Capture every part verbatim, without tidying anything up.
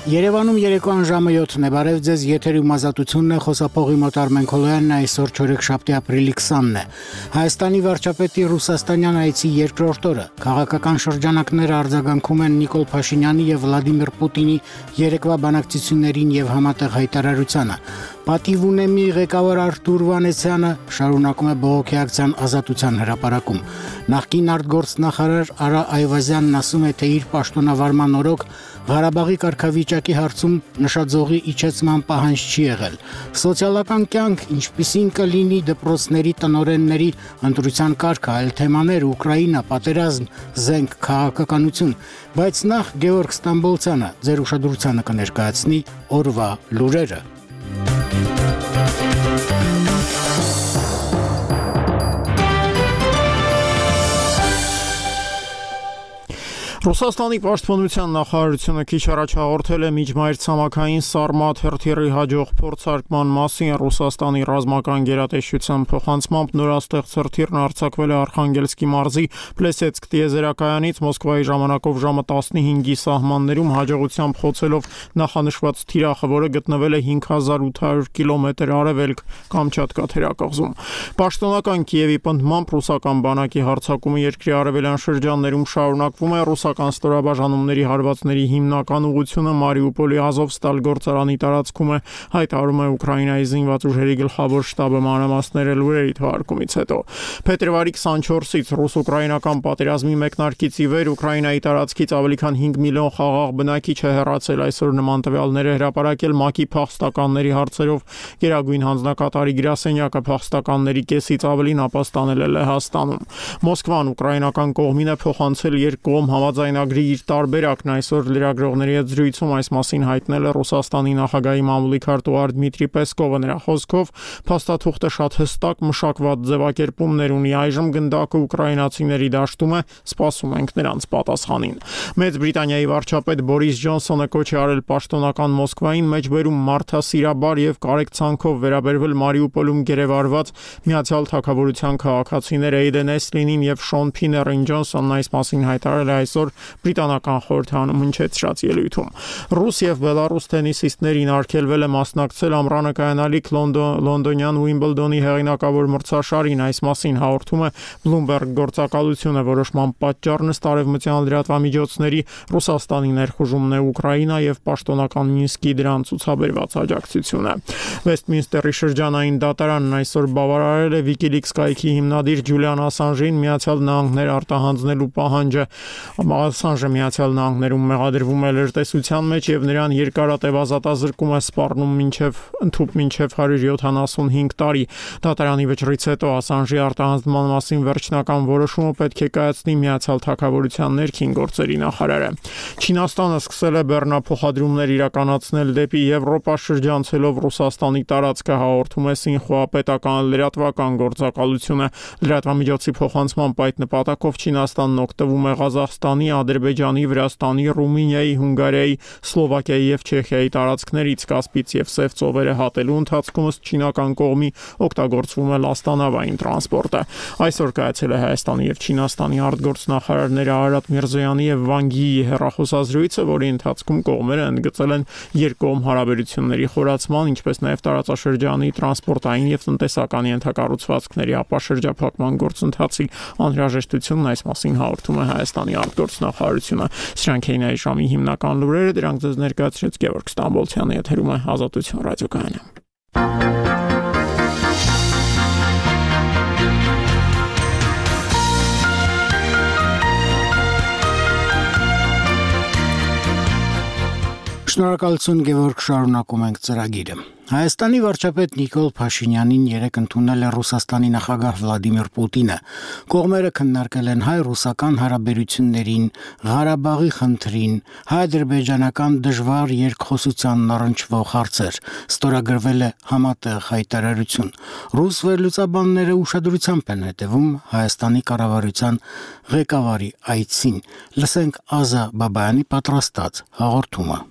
Երևանում երեկոյան ժամը յոթն է, բարև ձեզ, եթերում ազատությունն է, խոսափողի մոտ Արմեն Քոլոյանն է, այսօր չորեքշաբթի ապրիլի քսանն է։ Հայաստանի վարչապետի ռուսաստանյան այցի երկրորդ օրը, քաղաքական շրջանակները արձագանքում են Նիկոլ Փաշինյանի և Վլադիմիր Պուտինի երեկվա բանակցություններին և համատեղ հայտարարությանը։ Պատիվ ունեմի ղեկավար Արթուր Վանեսյանը շարունակում է բողոքի ակցիան Ազատության հրապարակում։ Նախկին արտգործնախարար Արա Այվազյանն ասում է, թե իր պաշտոնավարման օրոք Ղարաբաղի կարգավիճակի հարցում նշաձողի իջեցման պահանջ չի եղել։ Սոցիալական կյանք, ինչպիսին կլինի դպրոցների տնօրենների ընտրության կարգը, այլ թեմաներ, Ուկրաինա, պատերազմ, զենք, քաղաքականություն, բայց նախ Գևորգ Ստամբոլցյանը ձեր ուշադրությանը կներկայացնի օրվա լուրերը։ Ռուսաստանի պաշտպանության նախարարությունը քիչ առաջ հաղորդել է միջմայրցամաքային Սարմատ հրթիռի հաջող փորձարկման մասին։ Ռուսաստանի ռազմական գերատեսչության փոխանցմամբ նորաստեղծ հրթիռն արձակվել է Արխանգելսկի մարզի Պլեսեցկ տիեզերակայանից Մոսկվայի ժամանակով ժամը տասնհինգի սահմաններում հաջողությամբ խոցելով նախանշված թիրախը, որը գտնվել է հինգ հազար ութ հարյուր կիլոմետր արևելք Կամչատկա թերակղզում։ Պաշտոնական Կիևի պնդմամբ ռուսական բանակի հարձակումը երկրի արևելյան շրջաններում շարունակվում է։ Ռուսական ստորաբաժանումների հարվածների հիմնական ուղղությունը Մարիուպոլի Ազովստալ գործարանի տարածքում է, հայտարարում է Ուկրաինայի զինված ուժերի գլխավոր շտաբը մանրամասները լուրերի թվարկումից հետո։ Փետրվարի քսանչորսից ռուս-ուկրաինական պատերազմի մեկնարկից ի վեր Ուկրաինայի տարածքից ավելի քան հինգ միլիոն խաղաղ բնակիչ է հեռացել, այսօր նման տվյալներ է հրապարակել ՄԱԿ-ի փախստականների հարցերով գերագույն հանձնակատարի գրասենյակը։ Փախստականների կեսից ավելին ապաստանել է Լեհաստանում։ Մոսկվան ուկրաինական կողմին է փոխանցել երկկողմ համաձայնագրի իր տարբերակն, այսօր լրագրողների հետ զրույցում այս մասին հայտնել է Ռուսաստանի նախագահի մամուլի քարտուղար Դմիտրի Պեսկովը։ Նրա խոսքով փաստաթուղթը շատ հստակ մշակված ձևակերպումներ ունի, այժմ գնդակը ուկրաինացիների դաշտում է, սպասում ենք նրանց պատասխանին։ Մեծ Բրիտանիայի վարչապետ Բորիս Ջոնսոնը կոչ է արել պաշտոնական Մոսկվային մեջբերում մարդասիրաբար և կարեկցանքով վերաբերվել Մարիուպոլում գերեվարված Միացյալ Թագավորության քաղաքացիներ Էյդեն Էսլինին և Շոն Փիներին։ Ջոնսոնն այս մասին հայտարարել է այսօր բրիտանական խորհրդարանում հնչեցրած ելույթում։ Ռուս և Բելարուս տենիսիստներին արգելվել է մասնակցել ամռանը կայանալիք լոնդոնյան Ուիմբլդոնի հեղինակավոր մրցաշարին։ Այս մասին հաղորդում է Bloomberg գործակալությունը։ Որոշման պատճառն ըստ արևմտյան լրատվամիջոցների Ռուսաստանի ներխուժումն է Ուկրաինա և պաշտոնական Մինսկի դրան ցուցաբերված աջակցությունը։ Վեստմինստերի շրջանային դատարանն այսօր բավարարել է WikiLeaks կայքի հիմնադիր Ջուլիան Ասանժին Միացյալ Նահանգներ արտահանձնելու պահանջը։ Ասանժը Միացյալ Նահանգներում մեղադրվում է լրտեսության մեջ և նրան երկարատև ազատազրկում է սպառնում մինչև ընդհուպ մինչև հարյուր յոթանասունհինգ տարի։ Դատարանի վճռից հետո Ասանժի արտահանձնման մասին վերջնական որոշումը պետք է կայացնի Միացյալ Թագավորության ներքին գործերի նախարարը։ Չինաստանը սկսել է բեռնափոխադրումներ իրականացնել դեպի Եվրոպա շրջանցելով Ռուսաստանի տարածքը, հաղորդում է Սինխուա պետական լրատվական գործակալությունը։ Լրատվամիջոցի փոխանցմամբ այդ նպատակով Չինաստանն օգտվում է Ղազախստանի, Ադրբեջանի, Վրաստանի, Ռումինիայի, Հունգարիայի, Սլովակիայի և Չեխիայի տարածքներից Կասպից և Սև ծովերը հատելու ընթացքում ըստ չինական կողմի օգտագործվում է լաստանավային տրանսպորտը։ Այսօր կայացել է Հայաստանի և Չինաստանի արտգործնախարարներ Արարատ Միրզոյանի և Վանգ Յիի հեռախոսազրույցը, որի ընթացքում կողմերը ընդգծել են երկկողմ հարաբերությունների խորացման, ինչպես նաև տարածաշրջանի տրանսպորտային և տնտեսական ենթակառուցվածքների ապաշրջափակման գործընթացի անհրաժեշտությունն։ Այս մասին հաղորդում է Հայաստանի արտգործնախարարությունը։ Սրանք էին այս ժամի հիմնական լուրերը, դրանք ձեզ ներկայացրեց Գևորգ Ստամբոլցյանը, եթերում է Ազատություն ռադիոկայանը։ Շնորհակալություն Գևորգ, շարունակում ենք ծրագիրը։ Հայաստանի վարչապետ Նիկոլ Փաշինյանին երեկ ընդունել է Ռուսաստանի նախագահ Վլադիմիր Պուտինը։ Կողմերը քննարկել են հայ-ռուսական հարաբերություններին, Ղարաբաղի խնդրին, հայ-ադրբեջանական դժվար երկխոսությանն առնչվող հարցեր։ Ստորագրվել է համատեղ հայտարարություն։ Ռուս վերլուծաբանները ուշադրությամբ են հետևում Հայաստանի կառավարության ղեկավարի այցին։ Լսենք Ազա Բաբայանի պատրաստած հաղորդումը։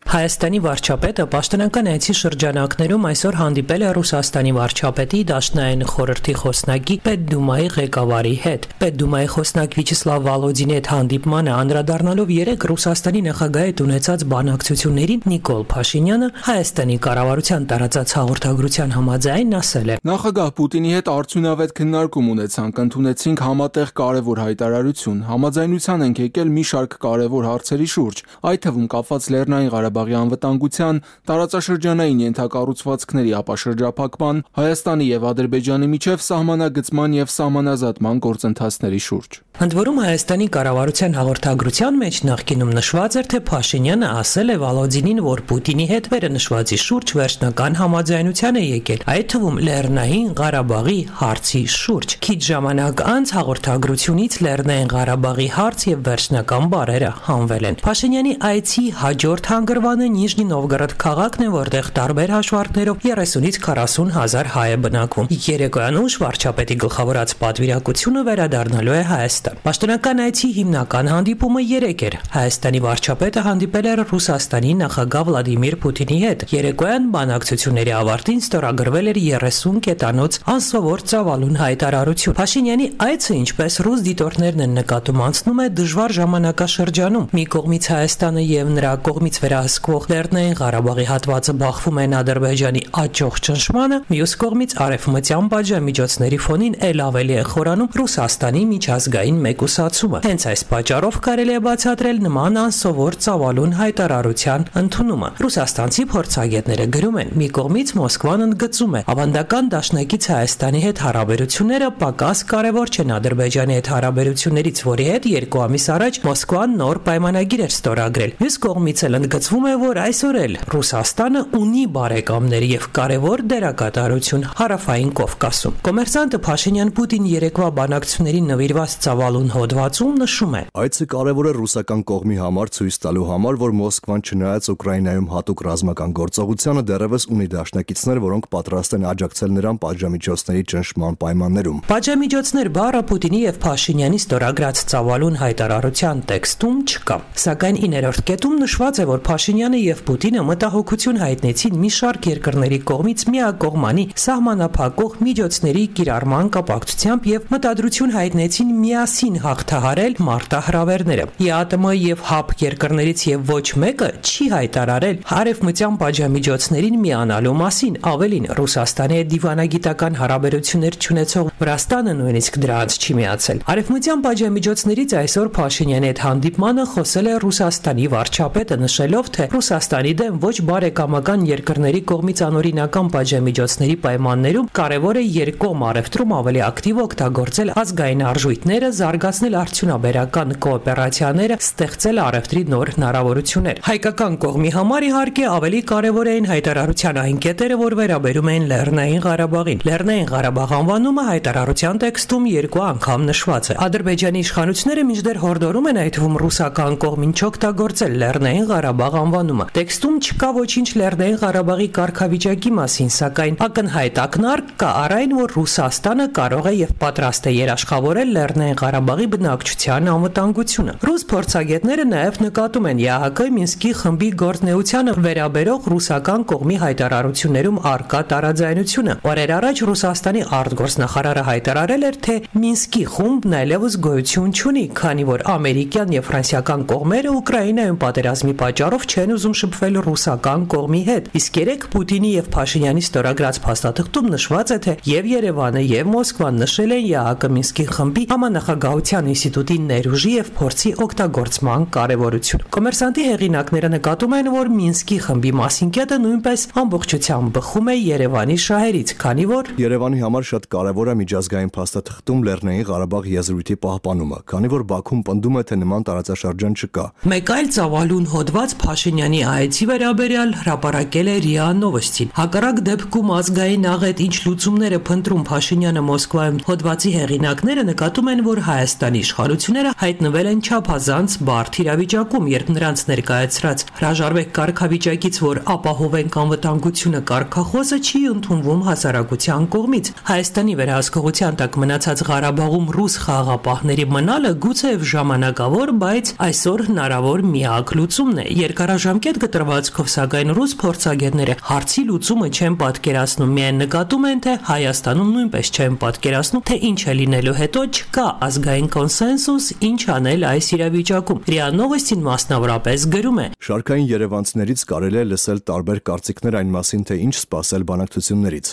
Հայաստանի վարչապետը պաշտոնական այցի շրջանակներում այսօր հանդիպել է Ռուսաստանի վարչապետի Դաշնային խորհրդի խոսնակի Պետդումայի ղեկավարի հետ։ Պետդումայի խոսնակ Վիաչեսլավ Վոլոդինի հետ հանդիպմանը անդրադառնալով երեք Ռուսաստանի նախագահի հետ ունեցած բանակցություններին Նիկոլ Փաշինյանը Հայաստանի կառավարության տարածած հաղորդագրության համաձայն ասել է. Նախագահ Պուտինի հետ արդյունավետ քննարկում ունեցանք, ընդունեցինք համատեղ կարևոր հայտարարություն, համաձայնության ենք եկել մի շարք կարևոր հարցերի շուրջ, այդ թվում կապված Լեռնային Ղարաբաղի անվտանգության, տարածաշրջանային ենթակառուցվածքների ապաշրջափակման, Հայաստանի եւ Ադրբեջանի միջև սահմանագծման եւ սահմանազատման գործընթացների շուրջ։ Ընդ որում Հայաստանի կառավարության հաղորդագրության մեջ նախկինում նշված էր, թե Փաշինյանը ասել է Վոլոդինին, որ Պուտինի հետ վերնշվածի շուրջ վերջնական համաձայնության է եկել, այդ թվում Լեռնային Ղարաբաղի հարցի շուրջ։ Քիչ ժամանակ անց հաղորդագրությունից Լեռնային Ղարաբաղի հարց եւ վերջնական բառերը հանվել են։ Փաշինյանի այցի հաջորդ հանգրվանը Նիժնի Նովգորոդ քաղաքն է, որտեղ տարբեր հաշվարկներով երեսունից քառասուն հազար հայ է բնակվում։ Երեկոյան ուշ վարչապետի գլխավորած պատվիրակությունը վերադառնալու է Հայաստան։ Պաշտոնական այցի հիմնական հանդիպումը երեկ էր։ Հայաստանի վարչապետը հանդիպել էր Ռուսաստանի նախագահ Վլադիմիր Պուտինի հետ։ Երեկոյան բանակցությունների ավարտին ստորագրվել էր երեսուն կետանոց անսովոր ծավալուն հայտարարություն։ Փաշինյանի այցը, ինչպես ռուս դիտորդներն են նկատում, անցնում է դժվար ժամանակաշրջանում։ Մի կողմից Հայաստանը եւ նրա կողմից վերահսկվող Լեռնային Ղարաբաղի հատվածը բախվում են Ադրբեջանի աճող ճնշմանը, մյուս կողմից արևմտյան պատժամիջոցների ֆոնին ել ավելի է խորանում Ռուսաստանի միջազգային մեկուսացումը։ Հենց այս պատճառով կարելի է բացատրել նման անսովոր ծավալուն հայտարարության ընդունումը։ Ռուսաստանցի փորձագետները գրում են. մի կողմից Մոսկվան ընդգծում է ավանդական դաշնակից Հայաստանի հետ հարաբերությունները պակաս կարևոր չեն Ադրբեջանի հետ հարաբերություններից, որի հետ երկու ամիս առաջ Մոսկվան նոր պայմանագիր էր ստորագրել։ Մյուս կողմից էլ ընդգծվում է, որ այսօր էլ Ռուսաստանը ունի բարեկամներ եւ կարևոր դերակատարություն Հարավային Կովկասում։ Կոմերսանտը Փաշինյան-Պուտին երեկվա բանակցություններին նվիրված ծավալուն հոդվածում նշում է. Այցը կարևոր է ռուսական կողմի համար ցույց տալու համար, որ Մոսկվան չնայած Ուկրաինայում հատուկ ռազմական գործողությանը դեռևս ունի դաշնակիցներ, որոնք պատրաստ են աջակցել նրան պատժամիջոցների ճնշման պայմաններում։ Պատժամիջոցներ բառը Պուտինի եւ Փաշինյանի ստորագրած ծավալուն հայտարարության տեքստում չկա։ Սակայն իներորդ կետում նշված է, որ Փաշինյանը եւ Պուտինը մտահոգություն հայտնեցին մի շարք երկրների կողմից միակողմանի սահմանափակող միջոցների կիրառման կապակցությամբ եւ մտադրություն հայտնեցին միասին հաղթահարել մարտահրավերները։ ԵԱՏՄ եւ ՀԱՊ երկրներից եւ ոչ մեկը չի հայտարարել արևմտյան պատժամիջոցներին միանալու մասին, ավելին Ռուսաստանի հետ դիվանագիտական հարաբերություններ չունեցող Վրաստանը նույնիսկ դրանց չի միացել։ Արևմտյան պատժամիջոցներից այսօր Փաշինյանի հետ հանդիպմանը խոսել է Ռուսաստանի վարչապետը, նշելով, թե Ռուսաստանի դեմ ոչ բարեկամական երկրների կողմից անօրինական պատժամիջոցների պայմաններում կարևոր է երկկողմ առևտրում ավելի ակտիվ օգտագործել ազգային արժույթները, զարգացնել արդյունաբերական կոոպերացիաները, ստեղծել առևտրի նոր հնարավորություններ։ Հայկական կողմի համար իհարկե ավելի կարևոր էին հայտարարության այն կետերը, որ վերաբերում էին Լեռնային Ղարաբաղին։ Լեռնային Ղարաբաղ անվանումը հայտարարության տեքստում երկու անգամ նշված է։ Ադրբեջանի իշխանությունները մինչդեռ հորդորում են, այդ թվում ռուսական կողմին չօգտագործել Լեռնային Ղարաբաղ անվանումը։ Տեքստում չկա ոչինչ Լեռնային Ղարաբաղի կարգավիճակի մասին, սակայն ակնհայտ ակնարկ կա առ այն, որ Ռուսաստանը կարող է եւ պատրաստ է երաշխավորել Լեռնային Ղարաբաղի բնակչության անվտանգությունը։ Ռուս փորձագետները նաեւ նկատում են ԵԱՀԿ Մինսկի խմբի գործնեությանը վերաբերող ռուսական կողմի հայտարարություններում առկա տարաձայնությունը։ Օրեր առաջ Ռուսաստանի արտգործնախարարը հայտարարել էր, թե Մինսկի խումբն այլևս գոյություն չունի, քանի որ ամերիկյան եւ ֆրանսիական կողմերը Ուկրաինայում պատերազմի պատճառով չեն ուզում շփվել ռուսական կողմի հետ։ Իսկ երեք Պուտինի եւ Փաշինյանի ստորագրած փաստաթղթում նշված է, թե եւ Երևանը եւ Մոսկվան նշել են ԵԱՀԿ Մինսկի խմբի համանախագահության ինստիտուտի ներուժի եւ փորձի օգտագործման կարեւորություն։ Կոմերսանտի հեղինակները նկատում են, որ Մինսկի խմբի մասին կետը նույնպես ամբողջությամբ բխում է Երևանի շահերից, քանի որ Երևանի համար շատ կարևոր է միջազգային փաստաթղթում Լեռնային Ղարաբաղ եզրույթի պահպանումը, քանի որ Բաքուն պնդում է, թե նման տարածաշրջան չկա։ Մեկ այլ ծավալուն հոդված Փաշինյանի այցի վերաբերյալ հրապարակել է ՌԻԱ Նովոստին։ Հակառակ դեպքում ազգային աղետ ինչ լուծումներ է փնտրում Փաշինյանը Մոսկվայում, հոդվածի հեղինակները նկատում են, որ Հայաստանի իշխանությունները հայտնվել են չափազանց բարդ իրավիճակում, երբ նրանց ներկայացրած հրաժարվեք կարգավիճակից, որ ապահովենք անվտանգությունը կարգախոսը չի ընդունվում հասարակության կողմից։ Հայաստանի վերահսկողության տակ մնացած Ղարաբաղում ռուս խաղաղապահների մնալը գուցեև ժամանակավոր, բայց այսօր հնարավոր միակ լուծումն է։ Երկարաժ ժամկետ կտրվածքով, սակայն ռուս փորձագետները հարցի լուծումը չեն պատկերացնում, միայն նկատում են, թե Հայաստանում նույնպես չեն պատկերացնում, թե ինչ է լինելու հետո, չկա ազգային կոնսենսուս, ինչ անել այս իրավիճակում։ ՌԻԱ Նովոստին մասնավորապես գրում է. Շարքային երևանցիներից կարելի է լսել տարբեր կարծիքներ այն մասին, թե ինչ սպասել բանակցություններից։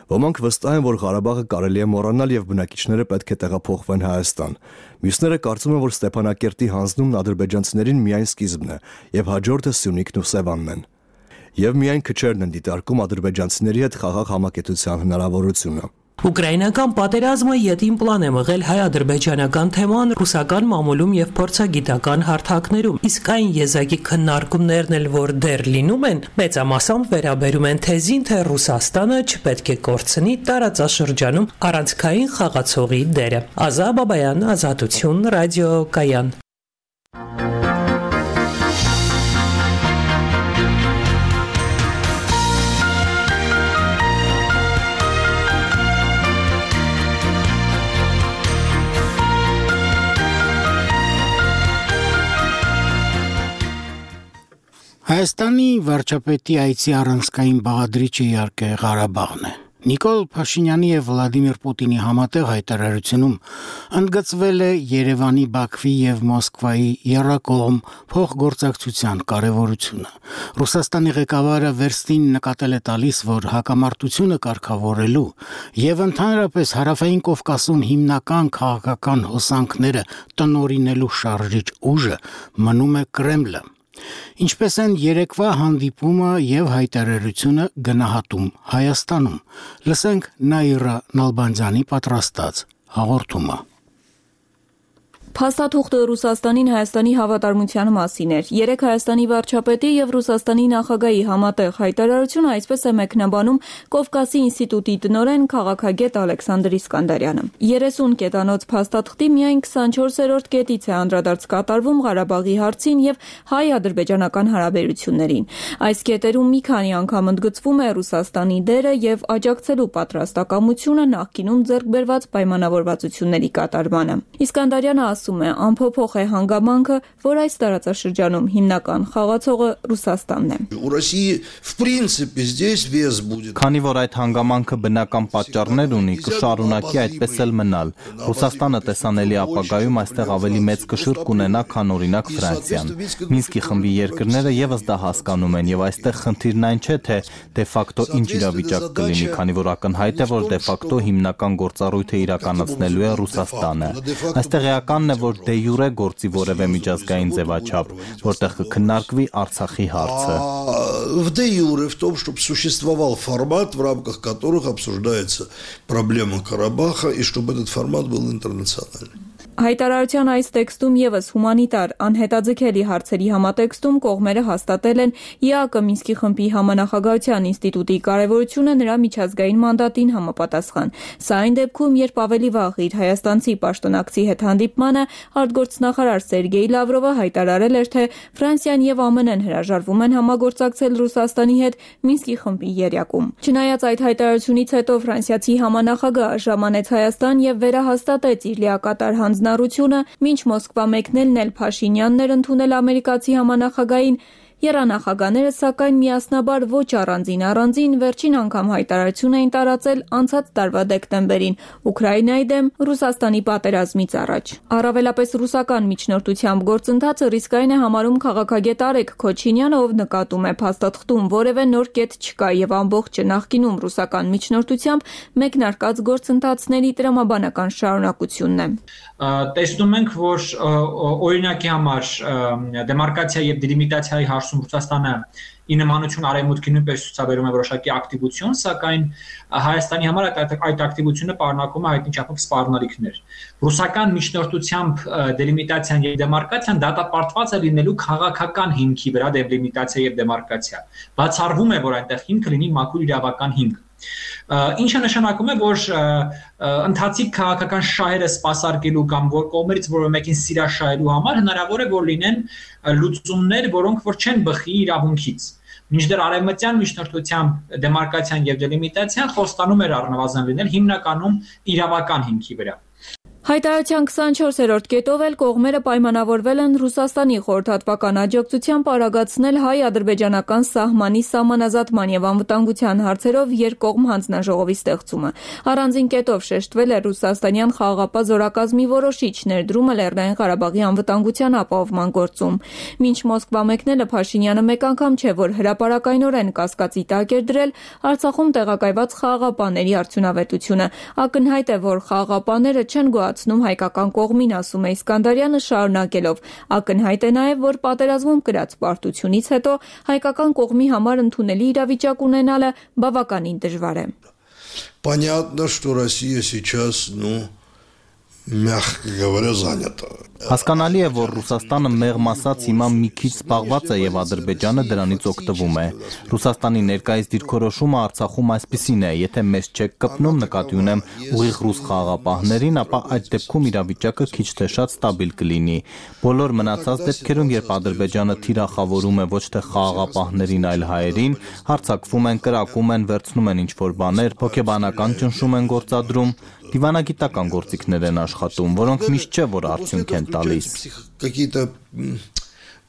Ոմանք վստահ են, որ Ղարաբաղը կարելի է մոռանալ եւ բնակիչները պետք է տեղափոխվեն Հայաստան։ Մյուսները կարծում են, որ Ստեփանակերտի հանձնումն ադրբեջանցիներին միայն սկիզբն է եւ հաջորդը Սյունիքն ու Սևանն են։ Եվ միայն քչերն են դիտարկում ադրբեջանցիների հետ խաղաղ համակեցության հնարավորությունը։ Ուկրաինական պատերազմը ետին պլան է մղել հայ-ադրբեջանական թեման ռուսական մամուլում եւ փորձագիտական հարթակներում, իսկ այն եզակի քննարկումներն էլ, որ դեռ լինում են, մեծամասամբ վերաբերում են թեզին, թե Ռուսաստանը չպետք է կորցնի տարածաշրջանում առանցքային խաղացողի դերը։ Ազա Բաբայան, Ազատություն, ռադիոկայան։ Հայաստանի վարչապետի այցի առանցքային բաղադրիչը իհարկե Ղարաբաղն է։ Նիկոլ Փաշինյանի եւ Վլադիմիր Պուտինի համատեղ հայտարարությունում ընդգծվել է Երևանի, Բաքվի եւ Մոսկվայի եռակողմ փոխգործակցության կարեւորությունը։ Ռուսաստանի ղեկավարը վերստին նկատել է տալիս, որ հակամարտությունը կարգավորելու եւ ընդհանրապես Հարավային Կովկասում հիմնական քաղաքական հոսանքները տնօրինելու շարժիչ ուժը մնում է Կրեմլը։ Ինչպես են երեկվա հանդիպումը եւ հայտարարությունը գնահատում Հայաստանում։ Լսենք Նաիրա Նալբանդյանի պատրաստած հաղորդումը։ Փաստաթուղթը Ռուսաստանին Հայաստանի հավատարմության մասին էր։ Երեք Հայաստանի վարչապետի եւ Ռուսաստանի նախագահի համատեղ հայտարարությունը այսպես է մեկնաբանում Կովկասի ինստիտուտի տնօրեն քաղաքագետ Ալեքսանդր Իսկանդարյանը։ երեսուն կետանոց փաստաթղթի միայն քսանչորսերորդ կետից է անդրադարձ կատարվում Ղարաբաղի հարցին եւ հայ-ադրբեջանական հարաբերություններին։ Այս կետերում մի քանի անգամ ընդգծվում է Ռուսաստանի դերը եւ աջակցելու պատրաստակամությունը նախկինում ձեռք բերված պայմանավորվածությունների կատարմանը։ Իսկանդարյանը ասում է, անփոփոխ է հանգամանքը, որ այս տարածաշրջանում հիմնական խաղացողը Ռուսաստանն է։ Քանի որ այդ հանգամանքը բնական պատճառներ ունի, կշարունակի այդպես էլ մնալ։ Ռուսաստանը տեսանելի ապագայում այստեղ ավելի մեծ կշիռ կունենա, քան օրինակ Ֆրանսիան։ Մինսկի խմբի երկրները եւս դա հասկանում են եւ այստեղ խնդիրն այն չէ, թե դե ֆակտո ինչ իրավիճակ կլինի, քանի որ ակնհայտ է, որ դե ֆակտո հիմնական գործառույթը իրականացնելու է Ռուսաստանը։ Այստեղ էականն է, որ դե յուրե գործի որևէ միջազգային ձևաչափ, որտեղ կքննարկվի Արցախի հարցը։ В де юре в том, чтобы существовал формат, в рамках которых обсуждается проблема Карабаха, и чтобы этот формат был интернациональный. Հայտարարության այս տեքստում եւս հումանիտար անհետաձգելի հարցերի համատեքստում կողմերը հաստատել են ԵԱԿ Մինսկի խմբի համանախագահության ինստիտուտի կարևորությունը նրա միջազգային մանդատին համապատասխան։ Սա այն դեպքում, երբ ավելի վաղ իր հայաստանցի պաշտոնակցի հետ հանդիպմանը արտգործնախարար Սերգեյ Լավրովը հայտարարել էր, թե Ֆրանսիան եւ ԱՄՆ-ն հրաժարվում են համագործակցել Ռուսաստանի հետ Մինսկի խմբի եռյակում։ Չնայած այդ հայտարարությունից հետո ֆրանսիացի համանախագահը ժամանեց Հայաստան եւ վերահաստատեց իր լիակատար հանձնառությունը, մինչ Մոսկվա մեկնելն էլ Փաշինյանն էր ընդունել ամերիկացի համանախագահին, եռանախագահները սակայն միասնաբար ոչ առանձին առանձին վերջին անգամ հայտարարություն էին տարածել անցած տարվա դեկտեմբերին Ուկրաինայի դեմ Ռուսաստանի պատերազմից առաջ։ Առավելապես ռուսական միջնորդությամբ գործընթացը ռիսկային է համարում քաղաքագետ Արեգ Քոչինյանը, ով նկատում է փաստաթղթում որևէ նոր կետ չկա եւ ամբողջը նախկինում ռուսական միջնորդությամբ մեկնարկած գործընթացների տրամաբանական շարունակությունն է։ Տեսնում ենք, որ օրինակի համար դեմարկացիա եւ դելիմիտացիայի հարցում Ռուսաստանը ի նմանություն արևմուտքի նույնպես ցուցաբերում է որոշակի ակտիվություն, սակայն Հայաստանի համար այդ այդ ակտիվությունը պարունակում է հայտնի չափով սպառնալիքներ։ Ռուսական միջնորդությամբ դելիմիտացիան եւ դեմարկացիան դատապարտված է լինելու քաղաքական հիմքի վրա դելիմիտացիա եւ դեմարկացիա։ Բացառվում է, որ այնտեղ հիմքը լինի մաքուր իրավական հիմք։ Ինչը նշանակում է, որ ընթացիկ քաղաքական շահերը սպասարկելու կամ որ կողմերից որևէ մեկին սիրաշահելու համար հնարավոր է, որ լինեն լուծումներ, որոնք որ չեն բխի իրավունքից։ Մինչդեռ արևմտյան միջնորդությամբ դեմարկացիան եւ դելիմիտացիան խոստանում էր առնվազն լինել հիմնականում իրավական հիմքի վրա։ Հայտարարության քսանչորսերորդ կետով էլ կողմերը պայմանավորվել են Ռուսաստանի խորհրդատվական աջակցությամբ արագացնել հայ-ադրբեջանական սահմանի սահմանազատման եւ անվտանգության հարցերով երկկողմ հանձնաժողովի ստեղծումը։ Առանձին կետով շեշտվել է ռուսաստանյան խաղաղապահ զորակազմի որոշիչ ներդրումը Լեռնային Ղարաբաղի անվտանգության ապահովման գործում։ Մինչ Մոսկվա մեկնելը Փաշինյանը մեկ անգամ չէ, որ հրապարակայնորեն կասկածի տակ էր դրել Արցախում տեղակայված խաղաղապահների արդյունավետությունը։ Ակնհայտ է, որ խաղաղապահները չեն գոհացնում հայկական կողմին, ասում է Իսկանդարյանը շարունակելով։ Ակնհայտ է նաև, որ պատերազմում կրած պարտությունից հետո հայկական կողմի համար ընդունելի իրավիճակ ունենալը բավականին դժվար է։ Понятно, что Россия сейчас, ну, мягко говоря, занята. Հասկանալի է, որ Ռուսաստանը մեղմ ասած հիմա մի քիչ զբաղված է եւ Ադրբեջանը դրանից օգտվում է։ Ռուսաստանի ներկայիս դիրքորոշումը Արցախում այսպիսին է, եթե մեզ չեք կպնում, նկատի ունեմ ուղիղ ռուս խաղաղապահներին, ապա այդ դեպքում իրավիճակը քիչ թե շատ ստաբիլ կլինի։ Բոլոր մնացած դեպքերում, երբ Ադրբեջանը թիրախավորում է ոչ թե խաղաղապահներին, այլ հայերին, հարձակվում են, կրակում են, վերցնում են ինչ-որ բաներ, հոգեբանական ճնշում են գործադրում, դիվանագիտական գործիքներ են աշխատում, որոնք միշտ չէ, որ արդյունք են տալիս։ Какие-то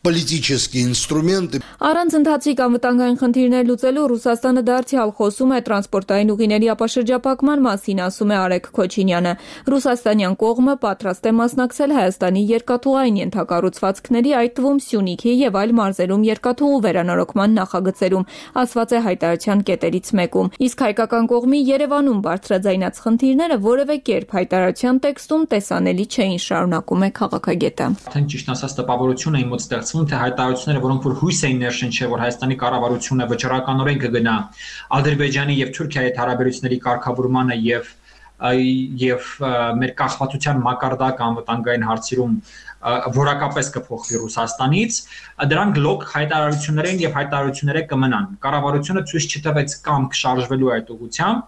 политические инструменты. Առանց ընթացիկ անվտանգային խնդիրներ լուծելու Ռուսաստանը դարձյալ խոսում է տրանսպորտային ուղիների ապաշրջափակման մասին, ասում է Արեգ Քոչինյանը։ Ռուսաստանյան կողմը պատրաստ է մասնակցել Հայաստանի երկաթուղային ենթակառուցվածքների, այդ թվում Սյունիքի եւ այլ մարզերում երկաթուղու վերանորոգման նախագծերում, ասված է հայտարարության կետերից մեկում։ Իսկ հայկական կողմի Երևանում բարձրաձայնած խնդիրները որևէ կերպ հայտարարության տեքստում տեսանելի չէին, շարունակում է քաղաքագետը։ Արդեն ճիշտ ասած տպավորություն է իմ մոտ ստեղծվում, թե հայտարարությունները, որոնք որ հույս էին ներշնչել, որ Հայաստանի կառավարությունը վճռականորեն կգնա Ադրբեջանի եւ Թուրքիայի հետ հարաբերությունների կարգավորմանը եւ եւ մեր կախվածության մակարդակ անվտանգային հարցերում որակապես կփոխվի Ռուսաստանից, դրանք լոկ հայտարարություններ են եւ հայտարարությունները կմնան։ Կառավարությունը ցույց չտվեց կամք շարժվելու այդ ուղղությամբ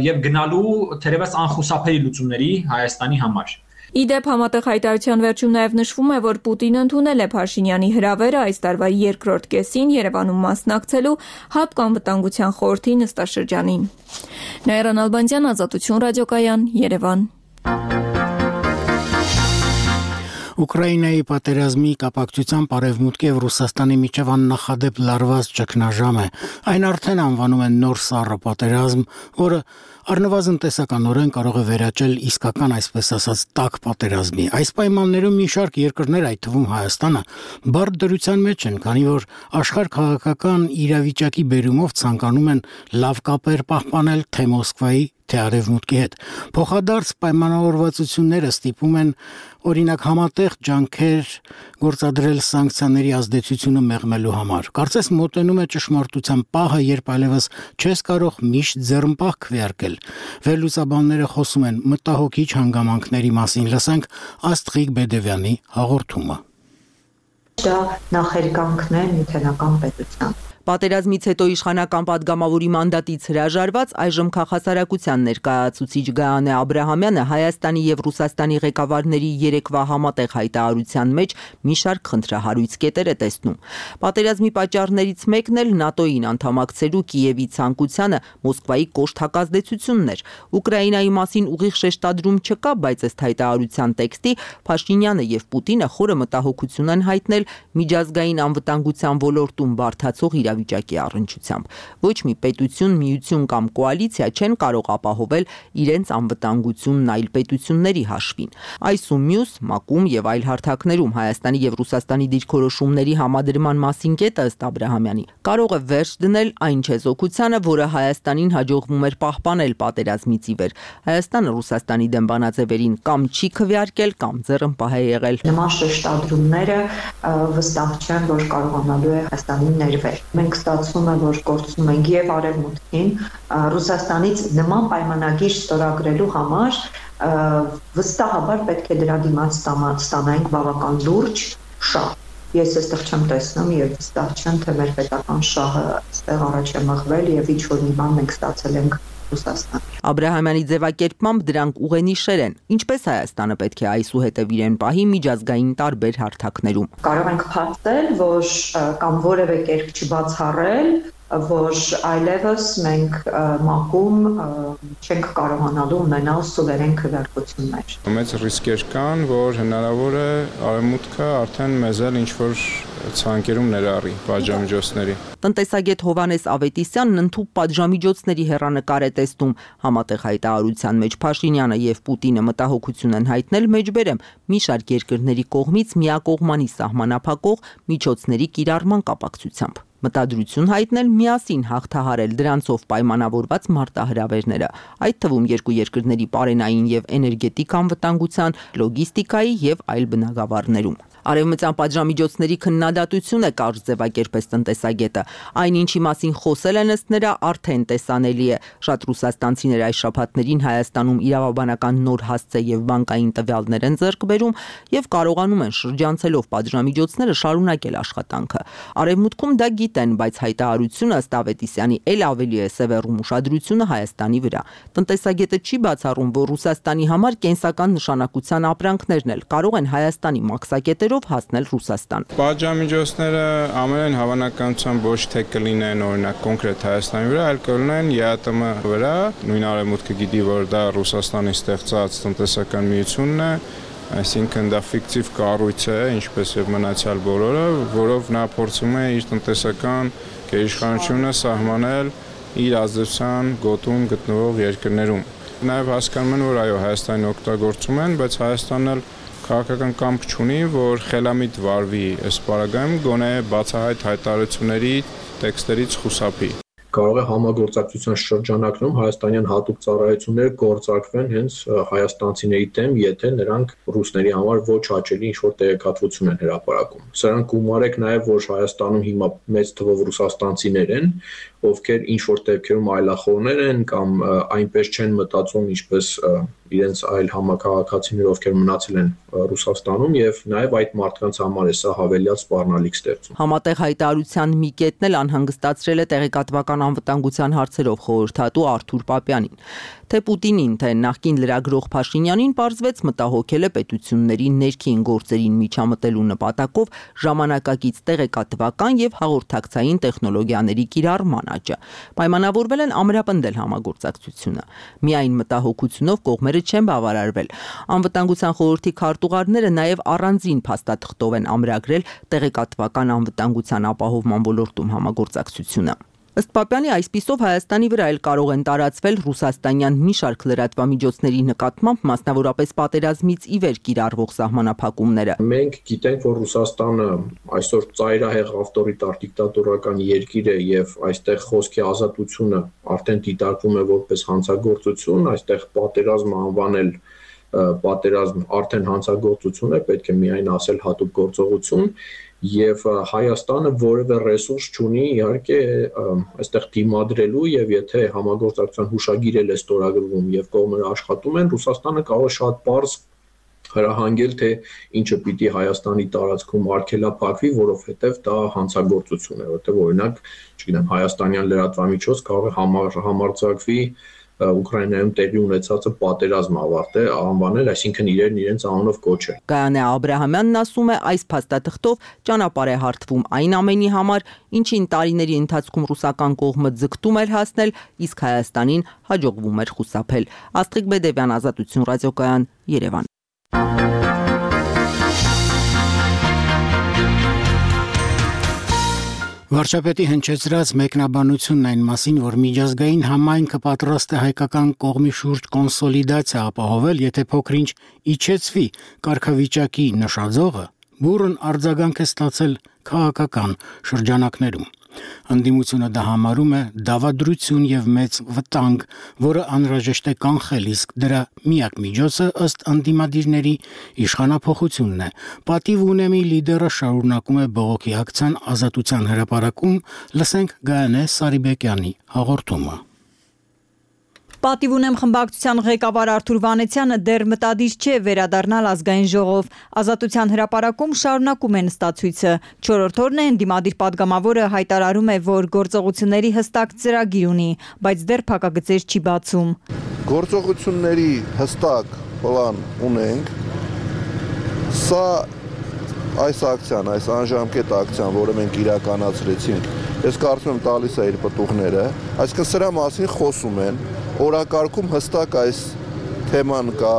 եւ գնալու թերևս անխուսափելի լուծումների Հայաստանի համար։ Իդեպ համատեղ հայտարարության վերջում նաև նշվում է, որ Պուտինը ընդունել է Փաշինյանի հրավերը այս տարվա երկրորդ կեսին Երևանում մասնակցելու ՀԱՊԿ անվտանգության խորհրդի նստաշրջանին։ Նաիրա Նալբանդյան, Ազատություն ռադիոկայան, Երևան։ Ուկրաինայի պատերազմի կապակցությամբ Արևմուտքի եւ Ռուսաստանի միջև աննախադեպ լարված ճգնաժամ է։ Այն արդեն անվանում են նոր սառը պատերազմ, որը առնվազն տեսականորեն կարող է վերաճել իսկական, այսպես ասած, տաք պատերազմի։ Այս պայմաններում մի շարք երկրներ, այդ թվում Հայաստանը, բարդ դրության մեջ են, քանի որ աշխարհ քաղաքական իրավիճակի բերումով ցանկանում են լավ կապեր պահպանել թե Մոսկվայի, թե Արևմուտքի հետ։ Փոխադարձ պայմանավորվածությունները ստիպում են օրինակ համատեղ ջանքեր գործադրել սանկցիաների ազդեցությունը մեղմելու համար։ Կարծես մոտենում է ճշմարտության պահը, երբ այլևս չես կարող միշտ ձեռնպահ քվեարկել։ Վերլուծաբանները խոսում են մտահոգիչ հանգամանքների մասին, լսենք Աստղիկ Բեդևյանի հաղորդումը։ Դա նախերգանքն է նյութենական պետության։ Պատերազմից հետո իշխանական падգամավորի մանդատից հրաժարված այժմ քաղաքասարակության ներկայացուցիչ Գայանե Աբրահամյանը Հայաստանի եւ Ռուսաստանի ղեկավարների երեկվա համատեղ հայտարարության մեջ մի շարք խնդրահարույց կետեր է տեսնում։ Պատերազմի պատճառներից մեկն էլ ՆԱՏՕ-ին անդամակցելու Կիևի ցանկությանը Մոսկվայի կոշտ հակազդեցությունն էր։ Ուկրաինայի մասին ուղիղ շեշտադրում չկա, բայց ըստ հայտարարության տեքստի Փաշինյանը եւ Պուտինը խորը մտահոգություն են հայտնել միջազգային անվտանգության ոլորտում բարդացող վիճակի առնչությամբ։ Ոչ մի պետություն, միություն կամ կոալիցիա չեն կարող ապահովել իրենց անվտանգությունն այլ պետությունների հաշվին։ Այս ու մյուս ՄԱԿ-ում եւ այլ հարթակներում Հայաստանի եւ Ռուսաստանի դիրքորոշումների համադրման մասին կետը ըստ Աբրահամյանի կարող է վերջ դնել այն չեզոքությանը, որը Հայաստանին հաջողվում էր պահպանել պատերազմից ի վեր։ Հայաստանը Ռուսաստանի դեմ բանաձևերին կամ չի քվեարկել, կամ ձեռնպահ է եղել։ Նման շեշտադրումները վստահ չեն, որ կարողանալու է Հայաստանին ներվել։ Մենք ստացվում է, որ կորցնում ենք եւ Արևմուտքին, Ռուսաստանից նման պայմանագիր ստորագրելու համար վստահաբար պետք է դրա դիմաց ստանանք բավական լուրջ շահ։ Ես այստեղ չեմ տեսնում եւ վստահ չեմ, թե մեր պետական շահը այստեղ առաջ է մղվել եւ ինչ որ մի բան մենք ստացել ենք Ռուսաստան։ Աբրահամյանի ձևակերպմամբ դրանք ուղենիշեր են, ինչպես Հայաստանը պետք է այսուհետև իրեն պահի միջազգային տարբեր հարթակներում։ Կարող ենք փաստել, որ կամ որևէ կերպ չբացառել որ այլևս մենք մակում չենք կարողանալու ունենալ սուվերեն քվեարկություններ։ Մեծ ռիսկեր կան, որ հնարավոր է արևմուտքը արդեն մեզ էլ ինչ-որ ցանկերում ներառի պատժամիջոցների։ Տնտեսագետ Հովհաննես Ավետիսյանն ընդհանուր պատժամիջոցների հեռանկար է տեսնում։ Համատեղ հայտարարության մեջ Փաշինյանը եւ Պուտինը մտահոգություն են հայտնել մեջբերեմ մի շարք երկրների կողմից միակողմանի սահմանափակող միջոցների կիրառման կապակցությամբ։ Մտադրություն հայտնել միասին հաղթահարել դրանցով պայմանավորված մարտահրավերները, այդ թվում երկու երկրների պարենային եւ էներգետիկ անվտանգության, լոգիստիկայի եւ այլ բնագավառներում։ Արևմտյան պատժամիջոցների քննադատություն է կարճ ձևակերպես տնտեսագետը։ Այն ինչի մասին խոսել են ըստ նրա արդեն տեսանելի է։ Շատ ռուսաստանցիներ այս շաբաթներին Հայաստանում իրավաբանական նոր հասցե եւ բանկային տվյալներ են ձեռք բերում եւ կարողանում են շրջանցելով պատժամիջոցները շարունակել աշխատանքը։ Արևմուտքում դա գիտեն, բայց հայտարարությունը ըստ Ավետիսյանի ել ավելի է սևեռում ուշադրությունը Հայաստանի վրա։ Տնտեսագետը չի բացառում, որ Ռուսաստանի համար կենսական նշանակության ապրանքներն էլ կարող են Հայաստանի մաքսակետեր հասնել Ռուսաստան։ Պատժամիջոցները ամենայն հավանականությամբ ոչ թե կլինեն օրինակ կոնկրետ Հայաստանի վրա, այլ կլինեն ԵԱՏՄ վրա։ Նույն արևմուտքը գիտի, որ դա Ռուսաստանի ստեղծած տնտեսական միությունն է, այսինքն դա ֆիկտիվ կառույց է, ինչպես եւ մնացյալ բոլորը, որով նա փորձում է իր տնտեսական գերիշխանությունը սահմանել իր ազդեցության գոտում գտնվող երկրներում։ Նաեւ հասկանում են, որ այո, Հայաստանի օգտագործում են, բայց Հայաստանն էլ քաղաքական կամք չունի, որ խելամիտ վարվի այս պարագայում գոնե բացահայտ հայտարարությունների տեքստերից խուսափի։ Կարող է համագործակցության շրջանակում հայաստանյան հատուկ ծառայություններ գործարկվեն հենց հայաստանցիների դեմ, եթե նրանք ռուսների համար ոչ հաճելի ինչ-որ տեղեկատվություն են հրապարակում։ Սրանք գումարեք նաև, որ Հայաստանում հիմա մեծ թվով ռուսաստանցիներ են, ովքեր ինչ-որ դեպքերում այլախոհներ են կամ այնպես չեն մտածում, ինչպես իրենց այլ համակարգացիներ, ովքեր մնացել են Ռուսաստանում, եւ նաեւ այդ մարդկանց համար է սա հավելյալ սպառնալիք ստեղծում։ Համատեղ հայտարարության մի կետն էլ անհանգստացրել է տեղեկատվական անվտանգության հարցերով խորհրդատու Արթուր Պապյանին։ Թե Պուտինին, թե նախկին լրագրող Փաշինյանին պարզվեց մտահոգել է պետությունների ներքին գործերին միջամտելու նպատակով ժամանակակից տեղեկատվական եւ հաղորդակցային տեխնոլոգիաների կիրառման աճը։ Պայմանավորվել են ամրապնդել համագործակցությունը։ Միայն մտահոգությունով կողմերը չեն բավարարվել։ Անվտանգության խորհրդի քարտուղարները նաև առանձին փաստաթղթով են ամրագրել տեղեկատվական անվտանգության ապահովման ոլորտում համագործակցությունը։ Ըստ Պապյանի, այսպիսով Հայաստանի վրա էլ կարող են տարածվել ռուսաստանյան մի շարք լրատվամիջոցների նկատմամբ, մասնավորապես պատերազմից ի վեր կիրառվող սահմանափակումները։ Մենք գիտենք, որ Ռուսաստանը այսօր ծայրահեղ ավտորիտար դիկտատորական երկիր է եւ այստեղ խոսքի ազատությունը արդեն դիտարկվում է որպես հանցագործություն, այստեղ պատերազմը անվանել պատերազմ արդեն հանցագործություն է, պետք է միայն ասել հատուկ գործողություն, եւ Հայաստանը որևէ ռեսուրս չունի իհարկե այստեղ դիմադրելու, եւ եթե համագործակցության հուշագիր է ստորագրվում եւ կողմերը աշխատում են, Ռուսաստանը կարող է շատ պարզ հրահանգել, թե ինչը պիտի Հայաստանի տարածքում արգելափակվի, որովհետեւ դա հանցագործություն է, որտեղ օրինակ, չգիտեմ, հայաստանյան լրատվամիջոց կարող է համար, համարձակվի Ուկրաինայում տեղի ունեցածը պատերազմ ավարտել, անվանել, այսինքն իրեն իրենց անունով կոչել։ Գայանե Աբրահամյանն ասում է, այս փաստաթղթով ճանապարհ է հարթվում այն ամենի համար, ինչին տարիների ընթացքում ռուսական կողմը ձգտում էր հասնել, իսկ Հայաստանին հաջողվում էր խուսափել։ Աստղիկ Բեդևյան, Ազատություն ռադիոկայան, Երևան։ Վարչապետի հնչեցրած մեկնաբանությունն այն մասին, որ միջազգային համայնքը պատրաստ է հայկական կողմի շուրջ կոնսոլիդացիա ապահովել, եթե փոքրինչ իջեցվի կարգավիճակի նշաձողը, բուրըն արձագանք է ստացել քաղաքական շրջանակներում։ Ընդդիմությունը դա համարում է դավադրություն եւ մեծ վտանգ, որը անհրաժեշտ է կանխել, իսկ դրա միակ միջոցը ըստ ընդդիմադիրների իշխանափոխությունն է։ Պատիվ ունեմի լիդերը շարունակում է բողոքի ակցիան ազատության հրապարակում, լսենք Գայանե Սարիբեկյանի հաղորդումը։ Պատիվ ունեմ խմբակցության ղեկավար Արթուր Վանեցյանը դեռ մտադիր չէ վերադառնալ ազգային ժողով։ Ազատության հրապարակում շարունակում են ստացույցը։ Չորրորդ օրն է ընդդիմադիր падգամավորը հայտարարում է, որ գործողությունների հստակ ծրագիր ունի, բայց դեռ փակագծեր չի բացում։ Գործողությունների հստակ պլան ունենք։ Սա այս ակցիան, այս անժամկետ ակցիան, որը մենք իրականացրեցինք, ես կարծում եմ տալիս է իր պտուղները, այսինքն սրա մասին խոսում են, օրակարգում հստակ այս թեման կա,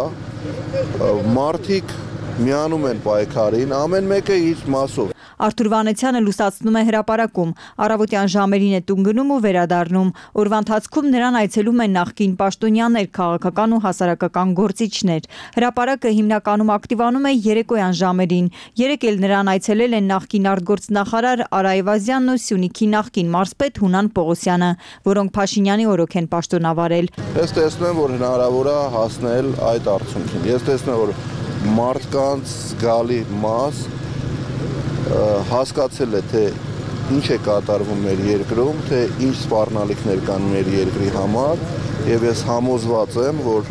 մարդիկ միանում են պայքարին, ամեն մեկը իր մասով։ Արթուր Վանեցյանը լուսացնում է հրապարակում, առավոտյան ժամերին է տուն գնում ու վերադառնում։ Օրվա ընթացքում նրան այցելում են նախկին պաշտոնյաներ, քաղաքական ու հասարակական գործիչներ։ Հրապարակը հիմնականում ակտիվանում է երեկոյան ժամերին։ Երեկ էլ նրան այցելել են նախկին արտգործնախարար Արա Այվազյանն ու Սյունիքի նախկին մարզպետ Հունան Պողոսյանը, որոնք Փաշինյանի օրոք են պաշտոնավարել։ Ես տեսնում եմ, որ հնարավոր է հասնել այդ արդյունքին։ Ես տեսնում եմ, որ մարդկանց զգալի մաս հասկացել է, թե ինչ է կատարվում մեր երկրում, թե ինչ սպառնալիքներ կան մեր երկրի համար, եւ ես համոզված եմ, որ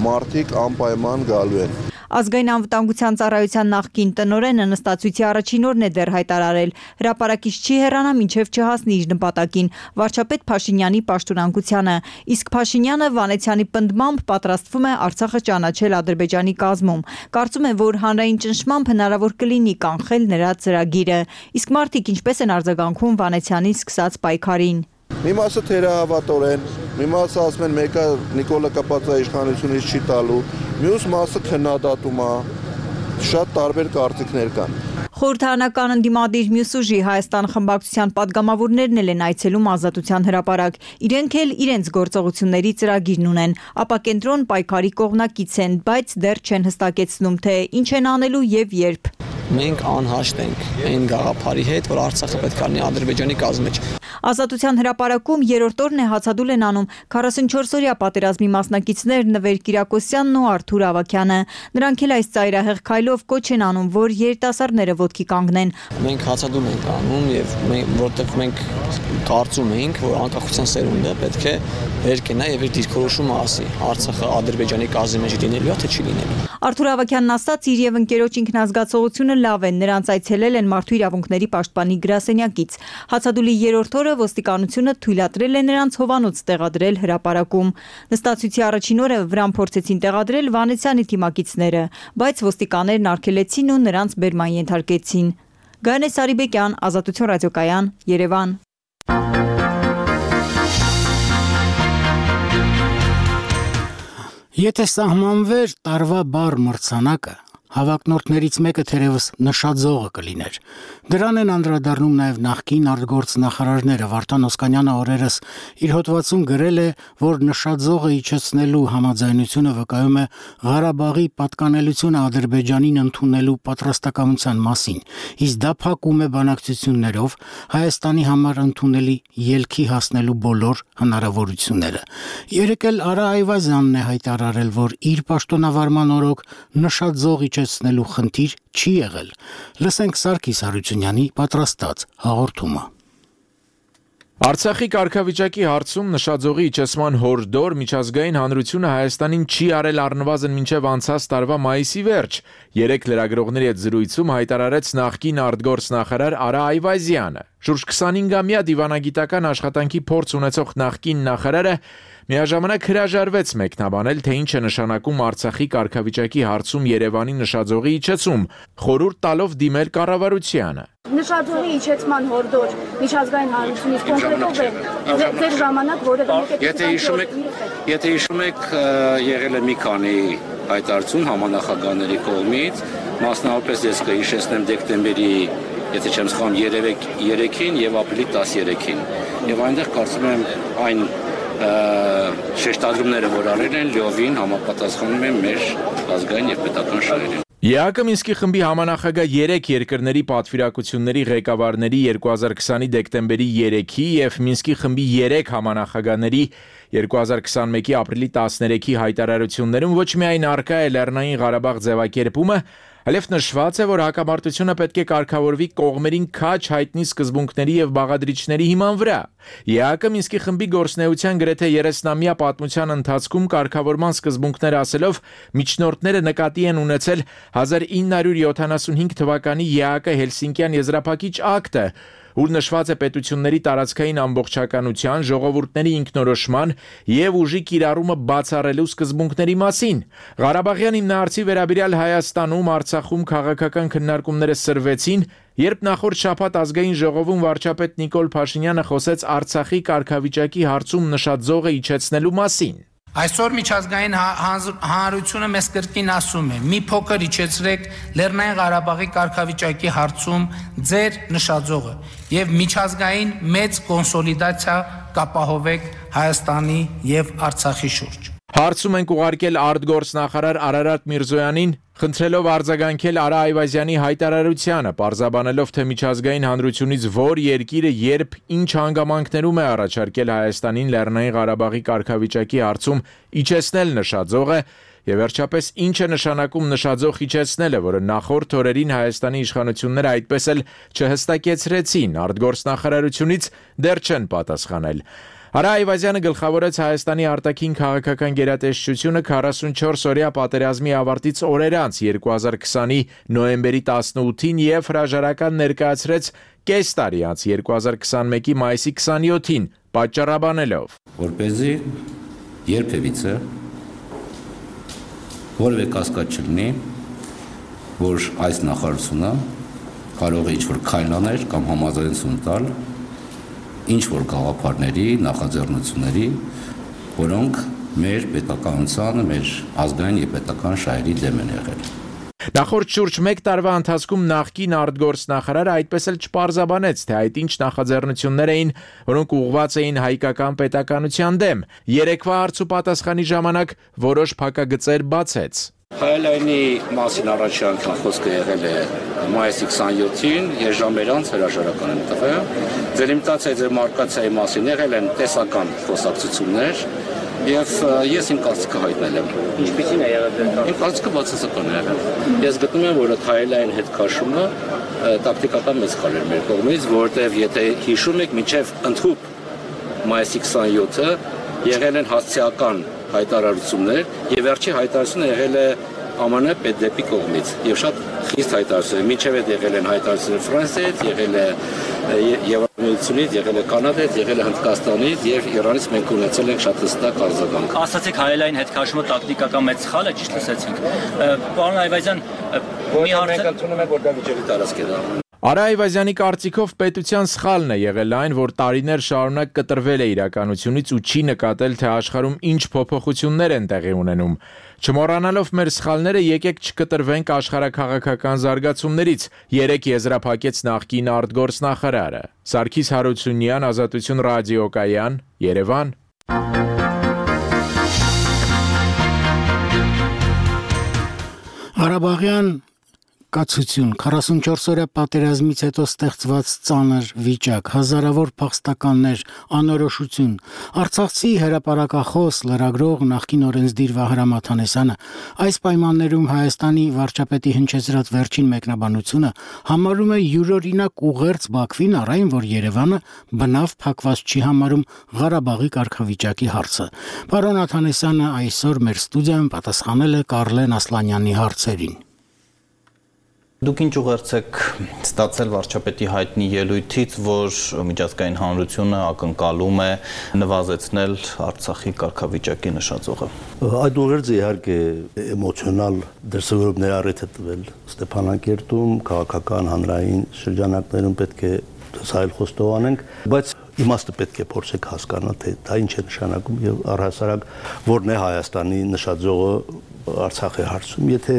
մարդիկ անպայման գալու են։ Ազգային անվտանգության ծառայության նախկին տնօրենը նստածույցի առաջին օրն է դեռ հայտարարել, հրապարակից չի հեռանա մինչև չհասնի իր նպատակին՝ վարչապետ Փաշինյանի պաշտոնանկությանը, իսկ Փաշինյանը Վանեցյանի պնդմամբ պատրաստվում է Արցախը ճանաչել Ադրբեջանի կազմում։ Կարծում է, որ հանրային ճնշմամբ հնարավոր կլինի կանխել նրա ծրագիրը, իսկ մարդիկ ինչպես են արձագանքում Վանեցյանի սկսած պայքարին։ Մի մասը թերահավատորեն, մի մասը ասում են մեկը Նիկոլա Կապացա իշխանությունից չի տալու, մյուս մասը քննադատում է, շատ տարբեր կարծիքներ կան։ Խորհրդարանական ընդդիմադիր մյուս ուժի Հայաստան խմբակցության падգամավորներն են Այցելում Ազատության հրապարակ։ Իրենք էլ իրենց գործողությունների ծրագիրն ունեն, ապակենտրոն պայքարի կողմնակից են, բայց դեռ չեն հստակեցնում, թե ինչ են անելու եւ երբ։ Մենք անհաշտ ենք այն գաղափարի հետ, որ Արցախը պետք է լինի Ադրբեջանի կազմի մեջ։ Ազատության հրապարակում երրորդ օրն է հացադուլ են անում քառասունչորս-օրյա պատերազմի մասնակիցներ Նվեր Կիրակոսյանն ու Արթուր Ավագյանը։ Նրանք էլ այս ծայրահեղ քայլով կոչ են անում, որ երիտասարդները ոտքի կանգնեն։ Մենք հացադուլ ենք անում եւ որտեղ մենք կարծում ենք, որ անկախության սերունդը պետք է վեր կենա եւ իր դիրքորոշումը ասի Արցախը Ադրբեջանի կազմի մեջ լինելու է թե չի լինելու։ Արթուր Ավագյանն ասաց, իր եւ ընկերոջ ինքնազգացողությունը լավ են, նրանց այցելել են Մարդու իրավունքների պաշտպանի գրասենյակից։ Հացադուլի երրորդ օրը ոստիկանությունը թույլատրել է նրանց հովանոց տեղադրել հրապարակում։ Նստածույցի առաջին օրը վրան փորձեցին տեղադրել Վանեցյանի թիմակիցները, բայց ոստիկաններն արգելեցին ու նրանց բերման ենթարկեցին։ Գայանե Սարիբեկյան, Ազատություն ռադիոկայան, Երևան։ Եթե սահմանվեր տարվա բառ մրցանակը, հավակնորդներից մեկը թերևս նշաձողը կլիներ։ Դրան են անդրադառնում նաև նախկին արտգործնախարարները։ Վարդան Օսկանյանը օրերս իր հոդվածում գրել է, որ նշաձողը իջեցնելու համաձայնությունը վկայում է Ղարաբաղի պատկանելությունը Ադրբեջանին ընդունելու պատրաստակամության մասին, իսկ դա փակում է բանակցություններով Հայաստանի համար ընդունելի ելքի հասնելու բոլոր հնարավորությունները։ Երեկ էլ Արա Այվազյանն է հայտարարել, որ իր պաշտոնավարման օրոք նշաձող իջեցնելու խնդիր չի եղել։ Լսենք Սարգիս Հարությունյանի պատրաստած հաղորդումը։ Արցախի կարգավիճակի հարցում նշաձողի իջեցման հորդոր միջազգային հանրությունը Հայաստանին չի արել առնվազն մինչև անցած տարվա մայիսի վերջ։ Երեք լրագրողների հետ զրույցում հայտարարեց նախկին արտգործնախարար Արա Այվազյանը։ Շուրջ քսանհինգամյա դիվանագիտական աշխատանքի փորձ ունեցող նախկին նախարարը միաժամանակ հրաժարվեց մեկնաբանել, թե ինչ է նշանակում Արցախի կարգավիճակի հարցում Երևանի նշաձողի իջեցում, խորհուրդ տալով դիմել կառավարությանը։ Նշաձողի իջեցման հորդոր միջազգային հանրությունից կոնկրետով է ձեր ժամանակ որևէ մեկը։ Եթե հիշում եք, եթե հիշում եք, եղել է մի քանի հայտարարություն համանախագահների կողմից, մասնավորապես ես կհիշեցնեմ դեկտեմբերի, եթե չեմ սխալվում, երեքին եւ ապրիլի տասներեքին։ Եվ այնտեղ կարծում եմ այն շեշտադրումները, որ արել են, լիովին համապատասխանում են մեր ազգային եւ պետական շահերին։ ԵԱԿ Մինսկի խմբի համանախագահ երեք երկրների պատվիրակությունների ղեկավարների երկու հազար քսանի դեկտեմբերի երեքի եւ Մինսկի խմբի երեք համանախագահների երկու հազար քսանմեկի ապրիլի տասներեքի հայտարարություններում ոչ միայն առկա է Լեռնային Ղարաբաղ ձևակերպումը, այլև նշված է, որ հակամարտությունը պետք է կարգավորվի կողմերին քաջ հայտնի սկզբունքների եւ բաղադրիչների հիման վրա։ ԵԱԿ-ը Մինսկի խմբի գործունեության գրեթե երեսնամյա պատմության ընթացքում կարգավորման սկզբունքներ ասելով միջնորդները նկատի են ունեցել հազար ինը հարյուր յոթանասունհինգ թվականի ԵԱԿ-ը Հելսինկյան եզրափակիչ ակտը, ուր նշված է պետությունների տարածքային ամբողջականության, ժողովուրդների ինքնորոշման եւ ուժի կիրառումը բացառելու սկզբունքների մասին։ Ղարաբաղյան հիմնահարցի վերաբերյալ Հայաստանում, Արցախում քաղաքական քննարկումները սրվեցին, երբ նախորդ շաբաթ ազգային ժողովում վարչապետ Նիկոլ Փաշինյանը խոսեց Արցախի կարգավիճակի հարցում նշած զոհը իջեցնելու մասին։ Այսօր միջազգային հանրությունը մեզ կրկին ասում է՝ մի փոքր իջեցրեք Լեռնային Ղարաբաղի կարգավիճակի հարցում ձեր նշաձողը եւ միջազգային մեծ կոնսոլիդացիա կապահովեք Հայաստանի եւ Արցախի շուրջ։ Հարցում ենք ուղարկել արտգործնախարար Արարատ Միրզոյանին, խնդրելով արձագանքել Արա Այվազյանի հայտարարությանը, պարզաբանելով, թե միջազգային հանրությունից որ երկիրը երբ ինչ հանգամանքներում է առաջարկել Հայաստանին Լեռնային Ղարաբաղի կարգավիճակի հարցում իջեցնել նշաձողը, եւ վերջապես ինչ է նշանակում նշաձող իջեցնելը, որը նախորդ օրերին Հայաստանի իշխանությունները այդպես էլ չհստակեցրեցին, արտգործնախարարությունից դեռ չեն պատասխանել։ Արա Այվազյանը գլխավորեց Հայաստանի արտաքին քաղաքական գերատեսչությունը քառասունչորս օրյա պատերազմի ավարտից օրեր անց երկու հազար քսանի նոյեմբերի տասնութին եւ հրաժարական ներկայացրեց կես տարի անց երկու հազար քսանմեկի մայիսի քսանյոթին, պատճառաբանելով, որպեսզի երբևիցե որևէ կասկած չլինի, որ այս նախարարությունը կարող է ինչ-որ քայլ անել կամ համաձայնություն տալ ինչ-որ գաղափարների, նախաձեռնությունների, որոնք մեր պետականությանը, մեր ազգային եւ պետական շահերի դեմ են եղել։ Նախորդ շուրջ մեկ տարվա ընթացքում նախկին արտգործնախարարը այդպես էլ չպարզաբանեց, թե այդ ինչ նախաձեռնություններ էին, որոնք ուղղված էին հայկական պետականության դեմ։ Երեկվա հարց ու պատասխանի ժամանակ որոշ փակագծեր բացեց։ Հայելայնի մասին առաջի անգամ խոսքը եղել է մայիսի քսանյոթին, երժամեր անց հրաժարական են տվել։ Դելիմիտացիայի դեմարկացիայի մասին եղել են տեսական խոսակցություններ եւ ես իմ կարծիքը հայտնել եմ։ Ինչպիսին է եղել դա։ Իմ կարծիքը բացասական է եղել։ Ես գտնում եմ, որ այդ հայելային հետ քաշումը տակտիկական մեծ խալ էր մեր կողմից, որովհետեւ եթե հիշում եք, մինչեւ ընդհուպ մայիսի քսանյոթը եղել են հասցեական հայտարարություններ եւ վերջի հայտարարությունը եղել է ԱՄՆ պետդեպի կողմից եւ շատ խիստ հայտարարություններ, մինչեւ այդ եղել են հայտարարություններ Ֆրանսիայից, եղել է Եվրամիությունից, եղել է Կանադայից, եղել է Հնդկաստանից եւ Իրանից մենք ունեցել ենք շատ հստակ արձագանք։ Ասացիք հայելային հետ քաշումը տակտիկական մեծ սխալ է, ճիշտ լսեցինք։ Պարոն Այվազյան, մի հարց մենք ընդունում ենք, որ դա վիճելի տարածք է դառնում։ Արա Այվազյանի կարծիքով պետության սխալն է եղել այն, որ տարիներ շարունակ կտրվել է իրականությունից ու չի նկատել, թե աշխարհում ինչ փոփոխություններ են տեղի ունենում։ Չմոռանալով մեր սխալները, եկեք չկտրվենք աշխարհաքաղաքական զարգացումներից, երեք եզրափակեց նախկին արտգործնախարարը։ Սարգիս Հարությունյան, Ազատություն ռադիոկայան, Երևան։ Ղարաբաղյան կացություն, քառասունչորս օրյա պատերազմից հետո ստեղծված ծանր վիճակ, հազարավոր փախստականներ, անորոշություն։ Արցախցի հրապարակախոս, լրագրող նախկին օրենսդիր Վահրամ Աթանեսյանը այս պայմաններում Հայաստանի վարչապետի հնչեցրած վերջին մեկնաբանությունը համարում է յուրօրինակ ուղերձ Բաքվին, առայն որ Երևանը բնավ փակված չի համարում Ղարաբաղի կարգավիճակի հարցը։ Պարոն Աթանեսյանը այսօր մեր ստուդիայում պատասխանել է Կարլեն Ասլանյանի հարցերին։ Դուք ինչ ուղերձ եք ստացել վարչապետի հայտնի ելույթից, որ միջազգային հանրությունը ակնկալում է նվազեցնել Արցախի կարգավիճակի նշաձողը։ Այդ ուղերձը իհարկե էմոցիոնալ դրսևորումներ առիթ է տվել Ստեփանակերտում, քաղաքական հանրային շրջանակներում պետք է սա էլ խոստով անենք, բայց իմաստը պետք է փորձեք հասկանալ, թե դա ինչ է նշանակում եւ առհասարակ որն է Հայաստանի նշաձողը Արցախի հարցում, եթե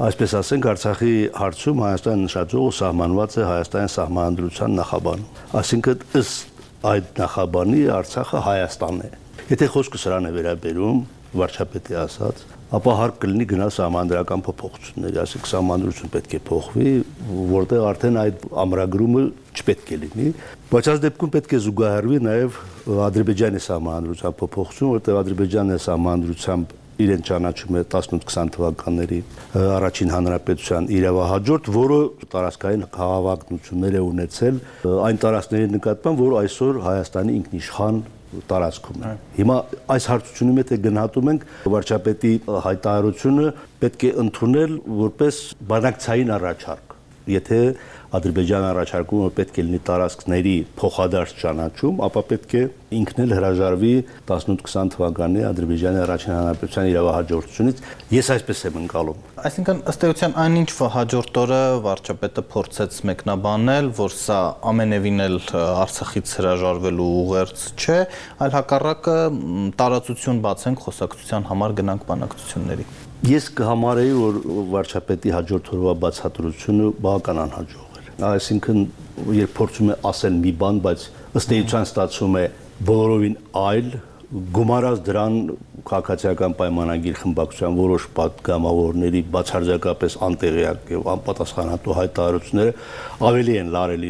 այսպես ասենք, Արցախի հարցում Հայաստանի նշաձողը սահմանված է Հայաստանի սահմանադրության նախաբանում։ Այսինքն ըստ այդ նախաբանի Արցախը Հայաստանն է։ Եթե խոսքը սրան է վերաբերում, վարչապետի ասած, ապա հարկ կլինի գնալ սահմանադրական փոփոխությունների, այսինքն սահմանադրություն պետք է փոխվի, որտեղ արդեն այդ ամրագրումը չպետք է լինի, բայց այս դեպքում պետք է զուգահեռվի նաև Ադրբեջանի սահմանադրության փոփոխություն, որտեղ Ադրբեջանի սահմանադրությամբ իրեն ճանաչում է տասնութ քսան թվականների առաջին հանրապետության իրավահաջորդ, որը տարածքային քաղաքականություններ է ունեցել այն տարածքների նկատմամբ, որ այսօր Հայաստանի ինքնիշխան տարածքում է։ Հիմա այս հարցությունի մեջ գնահատում ենք վարչապետի հայտարարությունը պետք է ընդունել որպես բանակցային առաջարկ։ Եթե Ադրբեջանը առաջարկում է պետք է լինի տարածքների փոխադարձ ճանաչում, ապա պետք է ինքն էլ հրաժարվի տասնութ քսան թվականի Ադրբեջանի առաջին հանրապետության իրավահաջորդությունից։ Ես այսպես եմ ընկալում։ Այսինքն ըստ էության այնինչ հաջորդ օրը վարչապետը փորձեց մեկնաբանել, որ սա ամենևին էլ Արցախից հրաժարվելու ուղերձ չէ, այլ հակառակը տարածություն բացենք խոսակցության համար գնանք բանակցությունների։ Ես կհամարեի, որ վարչապետի հաջորդ օրվա բացատրությունը բավական անհաջող էր։ Այսինքն, երբ փորձում է ասել մի բան, բայց ըստ էության ստացվում է բոլորովին այլ, գումարած դրան քաղաքացիական պայմանագիր խմբակցության որոշ պատգամավորների բացարձակապես անտեղյակ եւ անպատասխանատու հայտարարությունները ավելի են լարել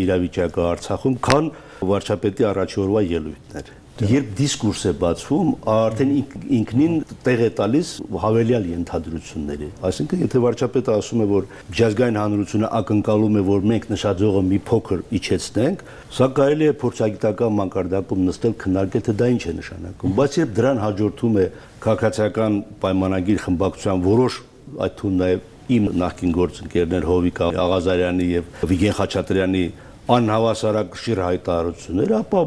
իրավիճակը Արցախում, քան վարչապետի առաջի օրվա ելույթները։ Երբ դիսկուրս է բացվում, արդեն ինքնին տեղ է տալիս հավելյալ ենթադրությունների։ Այսինքն, եթե վարչապետը ասում է, որ միջազգային հանրությունը ակնկալում է, որ մենք նշաձողը մի փոքր իջեցնենք, սա կարելի է փորձագիտական մակարդակում նստել քննարկել, թե դա ինչ է նշանակում։ Բայց երբ դրան հաջորդում է քաղաքացիական պայմանագիր խմբակցության որոշ, այդ թվում նաև իմ նախկին գործընկերներ Հովիկ Աղազարյանի եւ Վիգեն Խաչատրյանի անհավասարակշիռ հայտարարությունները, ապա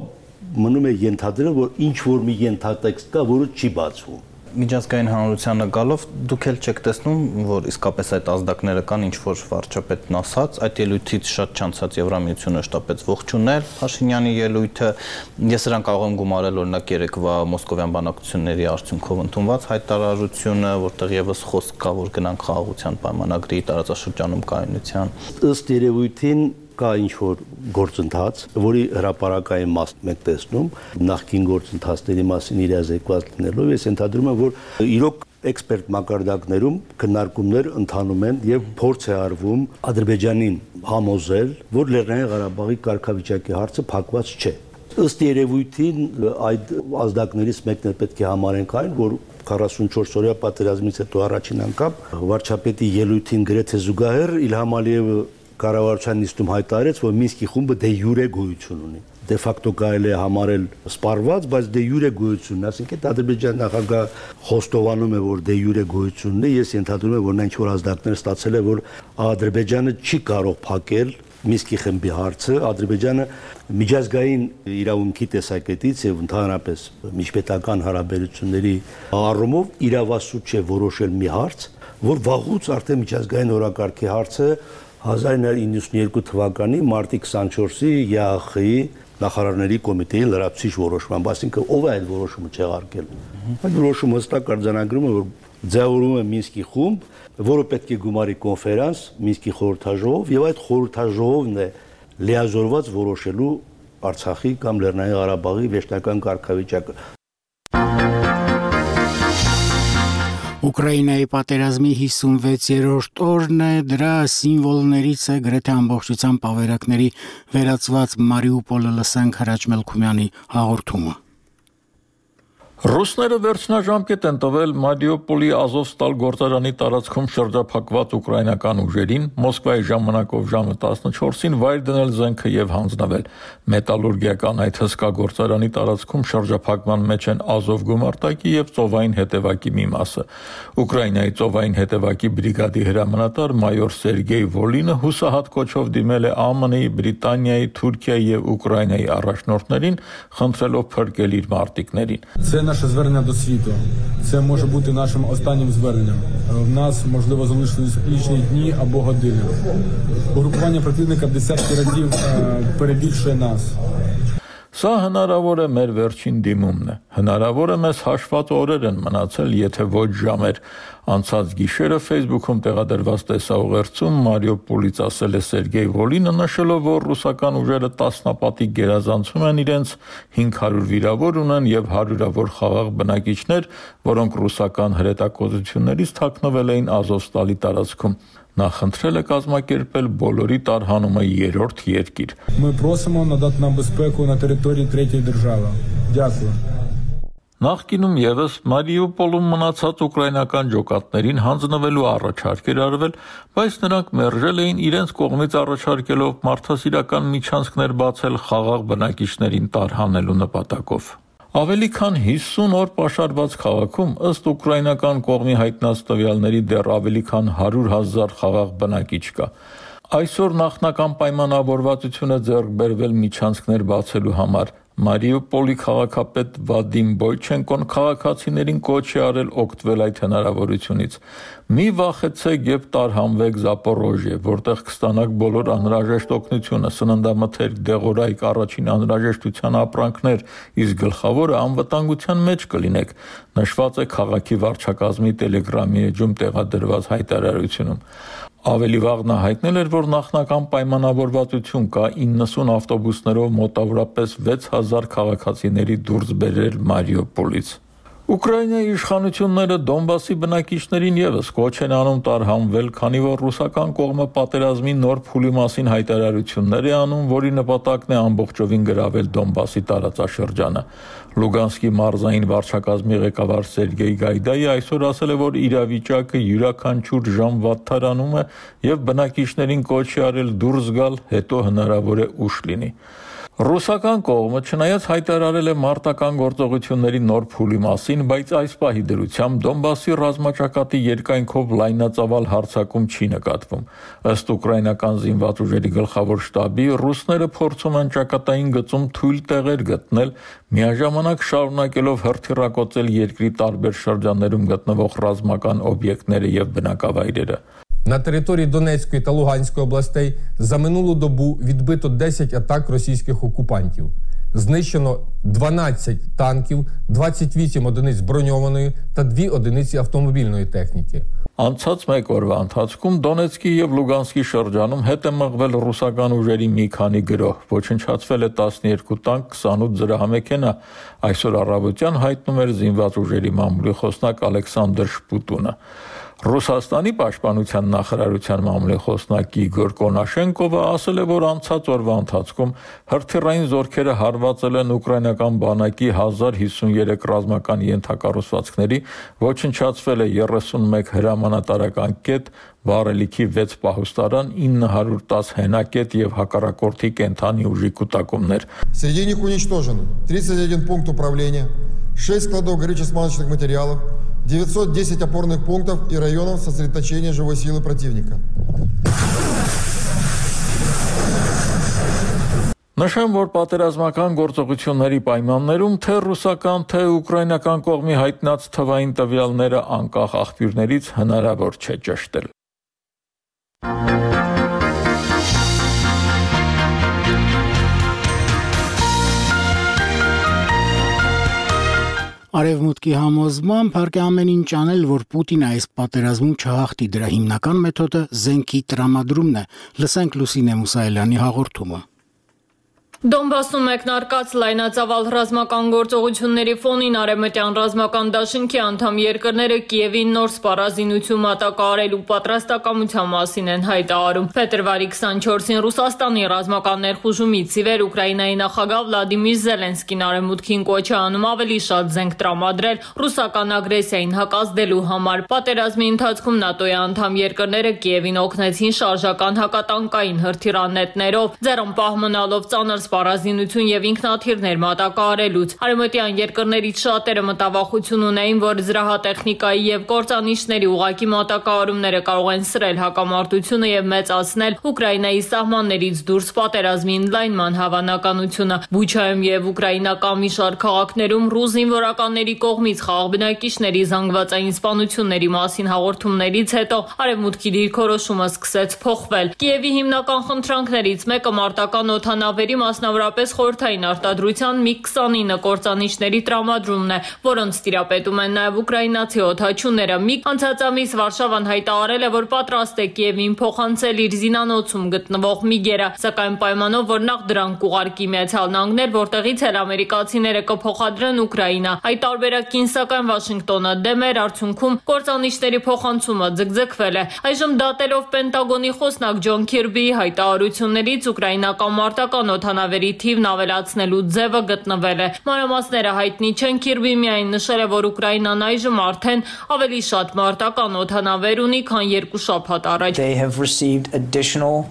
մնում է ենթադրել, որ ինչ որ մի ենթատեքստ կա, որը չի բացվում։ Միջազգային հանրությանը գալով դուք էլ չեք տեսնում, որ իսկապես այդ ազդակները կան, ինչ որ վարչապետն ասաց, այդ ելույթից շատ չանցած Եվրամիությունը շտապեց ողջունել Փաշինյանի ելույթը։ Ես նրան կարող եմ գումարել օրինակ երեկվա մոսկովյան բանակցությունների արդյունքով ընդունված հայտարարությունը, որտեղ եւս խոսք կա, որ գնանք խաղաղության պայմանագրի տարածաշրջանում կայունության։ Ըստ երևույթին կա ինչ-որ գործընթաց, որի հրապարակային մասն մենք տեսնում, նախկին գործընթացների մասին իրազեկված լինելով, ես ենթադրում եմ, որ իրոք էքսպերտ մակարդակներում քննարկումներ ընթանում են եւ փորձ է արվում Ադրբեջանին համոզել, որ Լեռնային Ղարաբաղի կարգավիճակի հարցը փակված չէ։ Ըստ երևույթին այդ ազդակներից մեկն է պետք է համարենք այն, որ քառասունչորս օրյա պատերազմից հետո առաջին անգամ վարչապետի ելույթին գրեթե զուգահեռ Իլհամ Ալիևը կառավարության նիստում հայտարարեց, որ Մինսկի խումբը դե յուրե գոյություն ունի։ Դե ֆակտո կարելի է համարել սպառված, բայց դե յուրե գոյություն, այսինքն Ադրբեջանի նախագահ խոստովանում է, որ դե յուրե գոյություն ունի, ես ենթադրում եմ, որ նա ինչ-որ ազդակներ ստացել է, որ Ադրբեջանը չի կարող փակել Մինսկի խմբի հարցը, Ադրբեջանը միջազգային իրավունքի տեսակետից եւ ընդհանրապես միջպետական հարաբերությունների առումով իրավասու չէ որոշել մի հարց, որ վաղուց արդեն միջազգային օրակարգի հարցը հազար ինը հարյուր իննսունյոթ թվականի մարտի քսանչորսի ԵԱԽ-ի նախարարների կոմիտեի լրացուցիչ որոշմամբ, այսինքն ով է այդ որոշումը չեղարկել։ Այդ որոշումը հստակ արձանագրում է, որ ձևավորվում է Մինսկի խումբ, որը պետք է գումարի կոնֆերանս Մինսկի խորհրդաժողով, եւ այդ խորհրդաժողովն է լիազորված որոշելու Արցախի կամ Լեռնային Ղարաբաղի վերջնական կարգավիճակը։ Ուկրաինայի պատերազմի հիսունվեցերորդ օրն է, դրա սիմվոլներից է գրեթե ամբողջությամբ ավերակների վերածված Մարիուպոլը, լսենք Հրաչ Մելքումյանի հաղորդումը։ Ռուսները վերջնաժամկետ են տվել Մարիուպոլի Ազովստալ գործարանի տարածքում շրջափակված ուկրաինական ուժերին, Մոսկվայի ժամանակով ժամը տասնչորսին վայր դնել զենքը եւ հանձնվել։ Մետալուրգիական այդ հսկա գործարանի տարածքում շրջափակման մեջ են Ազով գումարտակի եւ ծովային հետևակի մի մասը։ Ուկրաինայի ծովային հետևակի բրիգադի հրամանատար մայոր Սերգեյ Վոլինը հուսահատ կոչով դիմել է ԱՄՆ-ի, Բրիտանիայի, Թուրքիայի եւ Ուկրաինայի առաջնորդներին, խնդրելով փրկել իր մարտիկներին։ Наше звернення до світу. Це може бути нашим останнім зверненням. В нас, можливо, залишились лічні дні або години. Угрупування противника в десятки разів перебільшує нас. Սա հնարավոր է մեր վերջին դիմումն է։ Հնարավոր է մեզ հաշված օրեր են մնացել, եթե ոչ ժամեր։ Անցած գիշերը Facebook-ում տեղադրված տեսաուղերձում Մարիուպոլից ասել է Սերգեյ Վոլինը, նշելով, որ ռուսական ուժերը տասնապատիկ գերազանցում են իրենց, հինգ հարյուր վիրավոր ունեն եւ հարյուրավոր խաղաղ բնակիչներ, որոնք ռուսական հրետակոծություններից թաքնվել էին Ազովստալի տարածքում։ Նա խնդրել է կազմակերպել բոլորի տարհանումը երրորդ երկիր։ Ми просимо надати нам безпеку на території третьої держави. Дякую. Նախկինում եւս Մարիուպոլում մնացած ուկրաինական ջոկատներին հանձնվելու առաջարկ էր արվել, բայց նրանք մերժել էին իրենց կողմից առաջարկելով մարդասիրական միջանցքներ բացել խաղաղ բնակիչներին տարհանելու նպատակով։ Ավելի քան հիսուն օր պաշարված քաղաքում ըստ ուկրաինական կողմի հայտնած տվյալների դեռ ավելի քան հարյուր հազար խաղաղ բնակիչ կա։ Այսօր նախնական պայմանավորվածությունը ձեռք բերվել միջանցքներ բացելու համար։ Մարիուպոլի քաղաքապետ Վադիմ Բոյչենկոն քաղաքացիներին կոչ է արել օգտվել այդ հնարավորությունից։ Մի վախեցեք եւ տարհանվեք Զապորոժիե, որտեղ կստանաք բոլոր անհրաժեշտ օգնությունը, սննդամթերք, դեղորայք, առաջին անհրաժեշտության ապրանքներ, իսկ գլխավորը անվտանգության մեջ կլինեք, նշված է քաղաքի վարչակազմի Տելեգրամի էջում տեղադրված հայտարարությունում։ Ավելի վաղ նա հայտնել էր, որ նախնական պայմանավորվածություն կա իննսուն ավտոբուսներով մոտավորապես վեց հազար քաղաքացիների դուրս բերել Մարիուպոլից։ Ուկրաինայի իշխանությունները Դոնբասի բնակիչներին եւս կոչ են անում տարհանվել, քանի որ ռուսական կողմը պատերազմի նոր փուլի մասին հայտարարություններ է անում, որի նպատակն է ամբողջովին գրավել Դոնբասի տարածաշրջանը։ Լուգանսկի մարզային վարչակազմի ղեկավար Սերգեյ Գայդայի այսօր ասել է, որ իրավիճակը յուրաքանչյուր ժամ վատթարանում է եւ բնակիչներին կոչ է արել դուրս գալ, հետո հնարավոր է ուշ լինի։ Ռուսական կողմը չնայած հայտարարել է մարտական գործողությունների նոր փուլի մասին, բայց այս պահի դրությամբ Դոնբասի ռազմաճակատի երկայնքով լայնածավալ հարձակում չի նկատվում։ Ըստ ուկրաինական զինված ուժերի գլխավոր շտաբի, ռուսները փորձում են ճակատային գծում թույլ տեղեր գտնել, միաժամանակ շարունակելով հրթիռակոծել երկրի տարբեր շրջաններում գտնվող ռազմական օբյեկտները եւ бенакавайрերը։ На території Донецької та Луганської областей за минулу добу відбито десять атак російських окупантів. Знищено дванадцять танків, двадцять вісім одиниць броньованої та дві одиниці автомобільної техніки. Անցած մեկ օրվա ընթացքում Դոնեցկի եւ Լուգանսկի շրջանում հետ է մղվել ռուսական ուժերի մի քանի գրոհ, ոչնչացվել է տասներկու տանկ, քսանութ զրահամեքենա։ Այսօր առավոտյան հայտնում էր զինված ուժերի մամուլի խոսնակ Ալեքսանդր Շպուտունը։ Ռուսաստանի պաշտպանության նախարարության մամուլի խոսնակ Իգոր Կոնաշենկովը ասել է, որ անցած օրվա ընթացքում հրթիռային զորքերը հարվածել են ուկրաինական բանակի հազար հիսուներեք ռազմական ենթակառուցվածքների, ոչնչացվել է երեսունմեկ հրամանատարական կետ, վառելիքի վեց պահուստարան, ինը հարյուր տասը հենակետ եւ հակառակորդի կենթանի ուժի կուտակումներ։ Среди них уничтожено тридцать один пункт управления, шесть складов горюче-смазочных материалов, девятьсот десять опорных пунктов и районов сосредоточения живой силы противника. Նշեմ, որ պատերազմական գործողությունների պայմաններում թե ռուսական, թե ուկրաինական կողմի հայտնած թվային տվյալները անկախ աղբյուրներից հնարավոր չէ ճշտել։ Արևմուտքի համոզմամբ հարկ է ամեն ինչ անել, որ Պուտինը այս պատերազմում չհաղթի, դրա հիմնական մեթոդը զենքի տրամադրումն է։ Լսենք Լուսինե Մուսայելյանի հաղորդումը։ Դոնբասում մեկնարկած լայնածավալ ռազմական գործողությունների ֆոնին արևմտյան ռազմական դաշինքի անդամ երկրները Կիևին նոր սպառազինություն մատակարարելու պատրաստակամության մասին են հայտարարում։ Փետրվարի քսանչորսին Ռուսաստանի ռազմական ներխուժումից ի վեր Ուկրաինայի նախագահ Վլադիմիր Զելենսկին արևմուտքին կոչ է անում ավելի շատ զենք տրամադրել ռուսական ագրեսիային հակազդելու համար։ Պատերազմի ընթացքում ՆԱՏՕ-ի անդամ երկրները Կիևին օգնեցին շարժական հակատանկային հրթիռանետներով, ձեռնպահ մնալով ծանր սպառազինություն եւ ինքնաթիռներ մատակարարելուց։ Արևմտյան երկրներից շատերը մտավախություն ունեին, որ զրահատեխնիկայի եւ կործանիչների ուղակի մատակարարումները կարող են սրել հակամարտությունը եւ մեծացնել Ուկրաինայի սահմաններից դուրս պատերազմի ընդլայնման հավանականությունը։ Բուչայում եւ ուկրաինական մի շարք քաղաքներում ռուս զինվորականների կողմից խաղաղ բնակիչների զանգվածային սպանությունների մասին հաղորդումներից հետո արևմուտքի դիրքորոշումը սկսեց փոխվել։ Կիևի հիմնական խնդրանքներից մեկը մարտական օդանավերի մասնավորապես խորհրդային արտադրության մի քսանինը կործանիչների տրամադրումն է, որոնց տիրապետում են նաև ուկրաինացի օդաչուները։ Մի անցած ամիս Վարշավան հայտարարել է, որ պատրաստ է Կիևին փոխանցել իր զինանոցում գտնվող միգերը, սակայն պայմանով, որ նախ դրանք կուղարկի Միացյալ Նահանգներ, որտեղից էլ ամերիկացիները կփոխադրեն Ուկրաինա։ Այդ տարբերակին սակայն Վաշինգտոնը դեմ էր, արդյունքում կործանիչների փոխանցումը ձգձգվել է։ Այժմ դատելով Պենտագոնի խոսնակ Ջոն Քիրբիի հայտարարություններից ուկրաինական մարտական օդանավ օդանավերի թիվն ավելացնելու ձևը գտնվել է։ Մանրամասները հայտնի չեն, Քիրբի միայն նշել է, որ Ուկրաինան այժմ արդեն ավելի շատ մարտական օդանավեր ունի, քան երկու շաբաթ առաջ։ They have received additional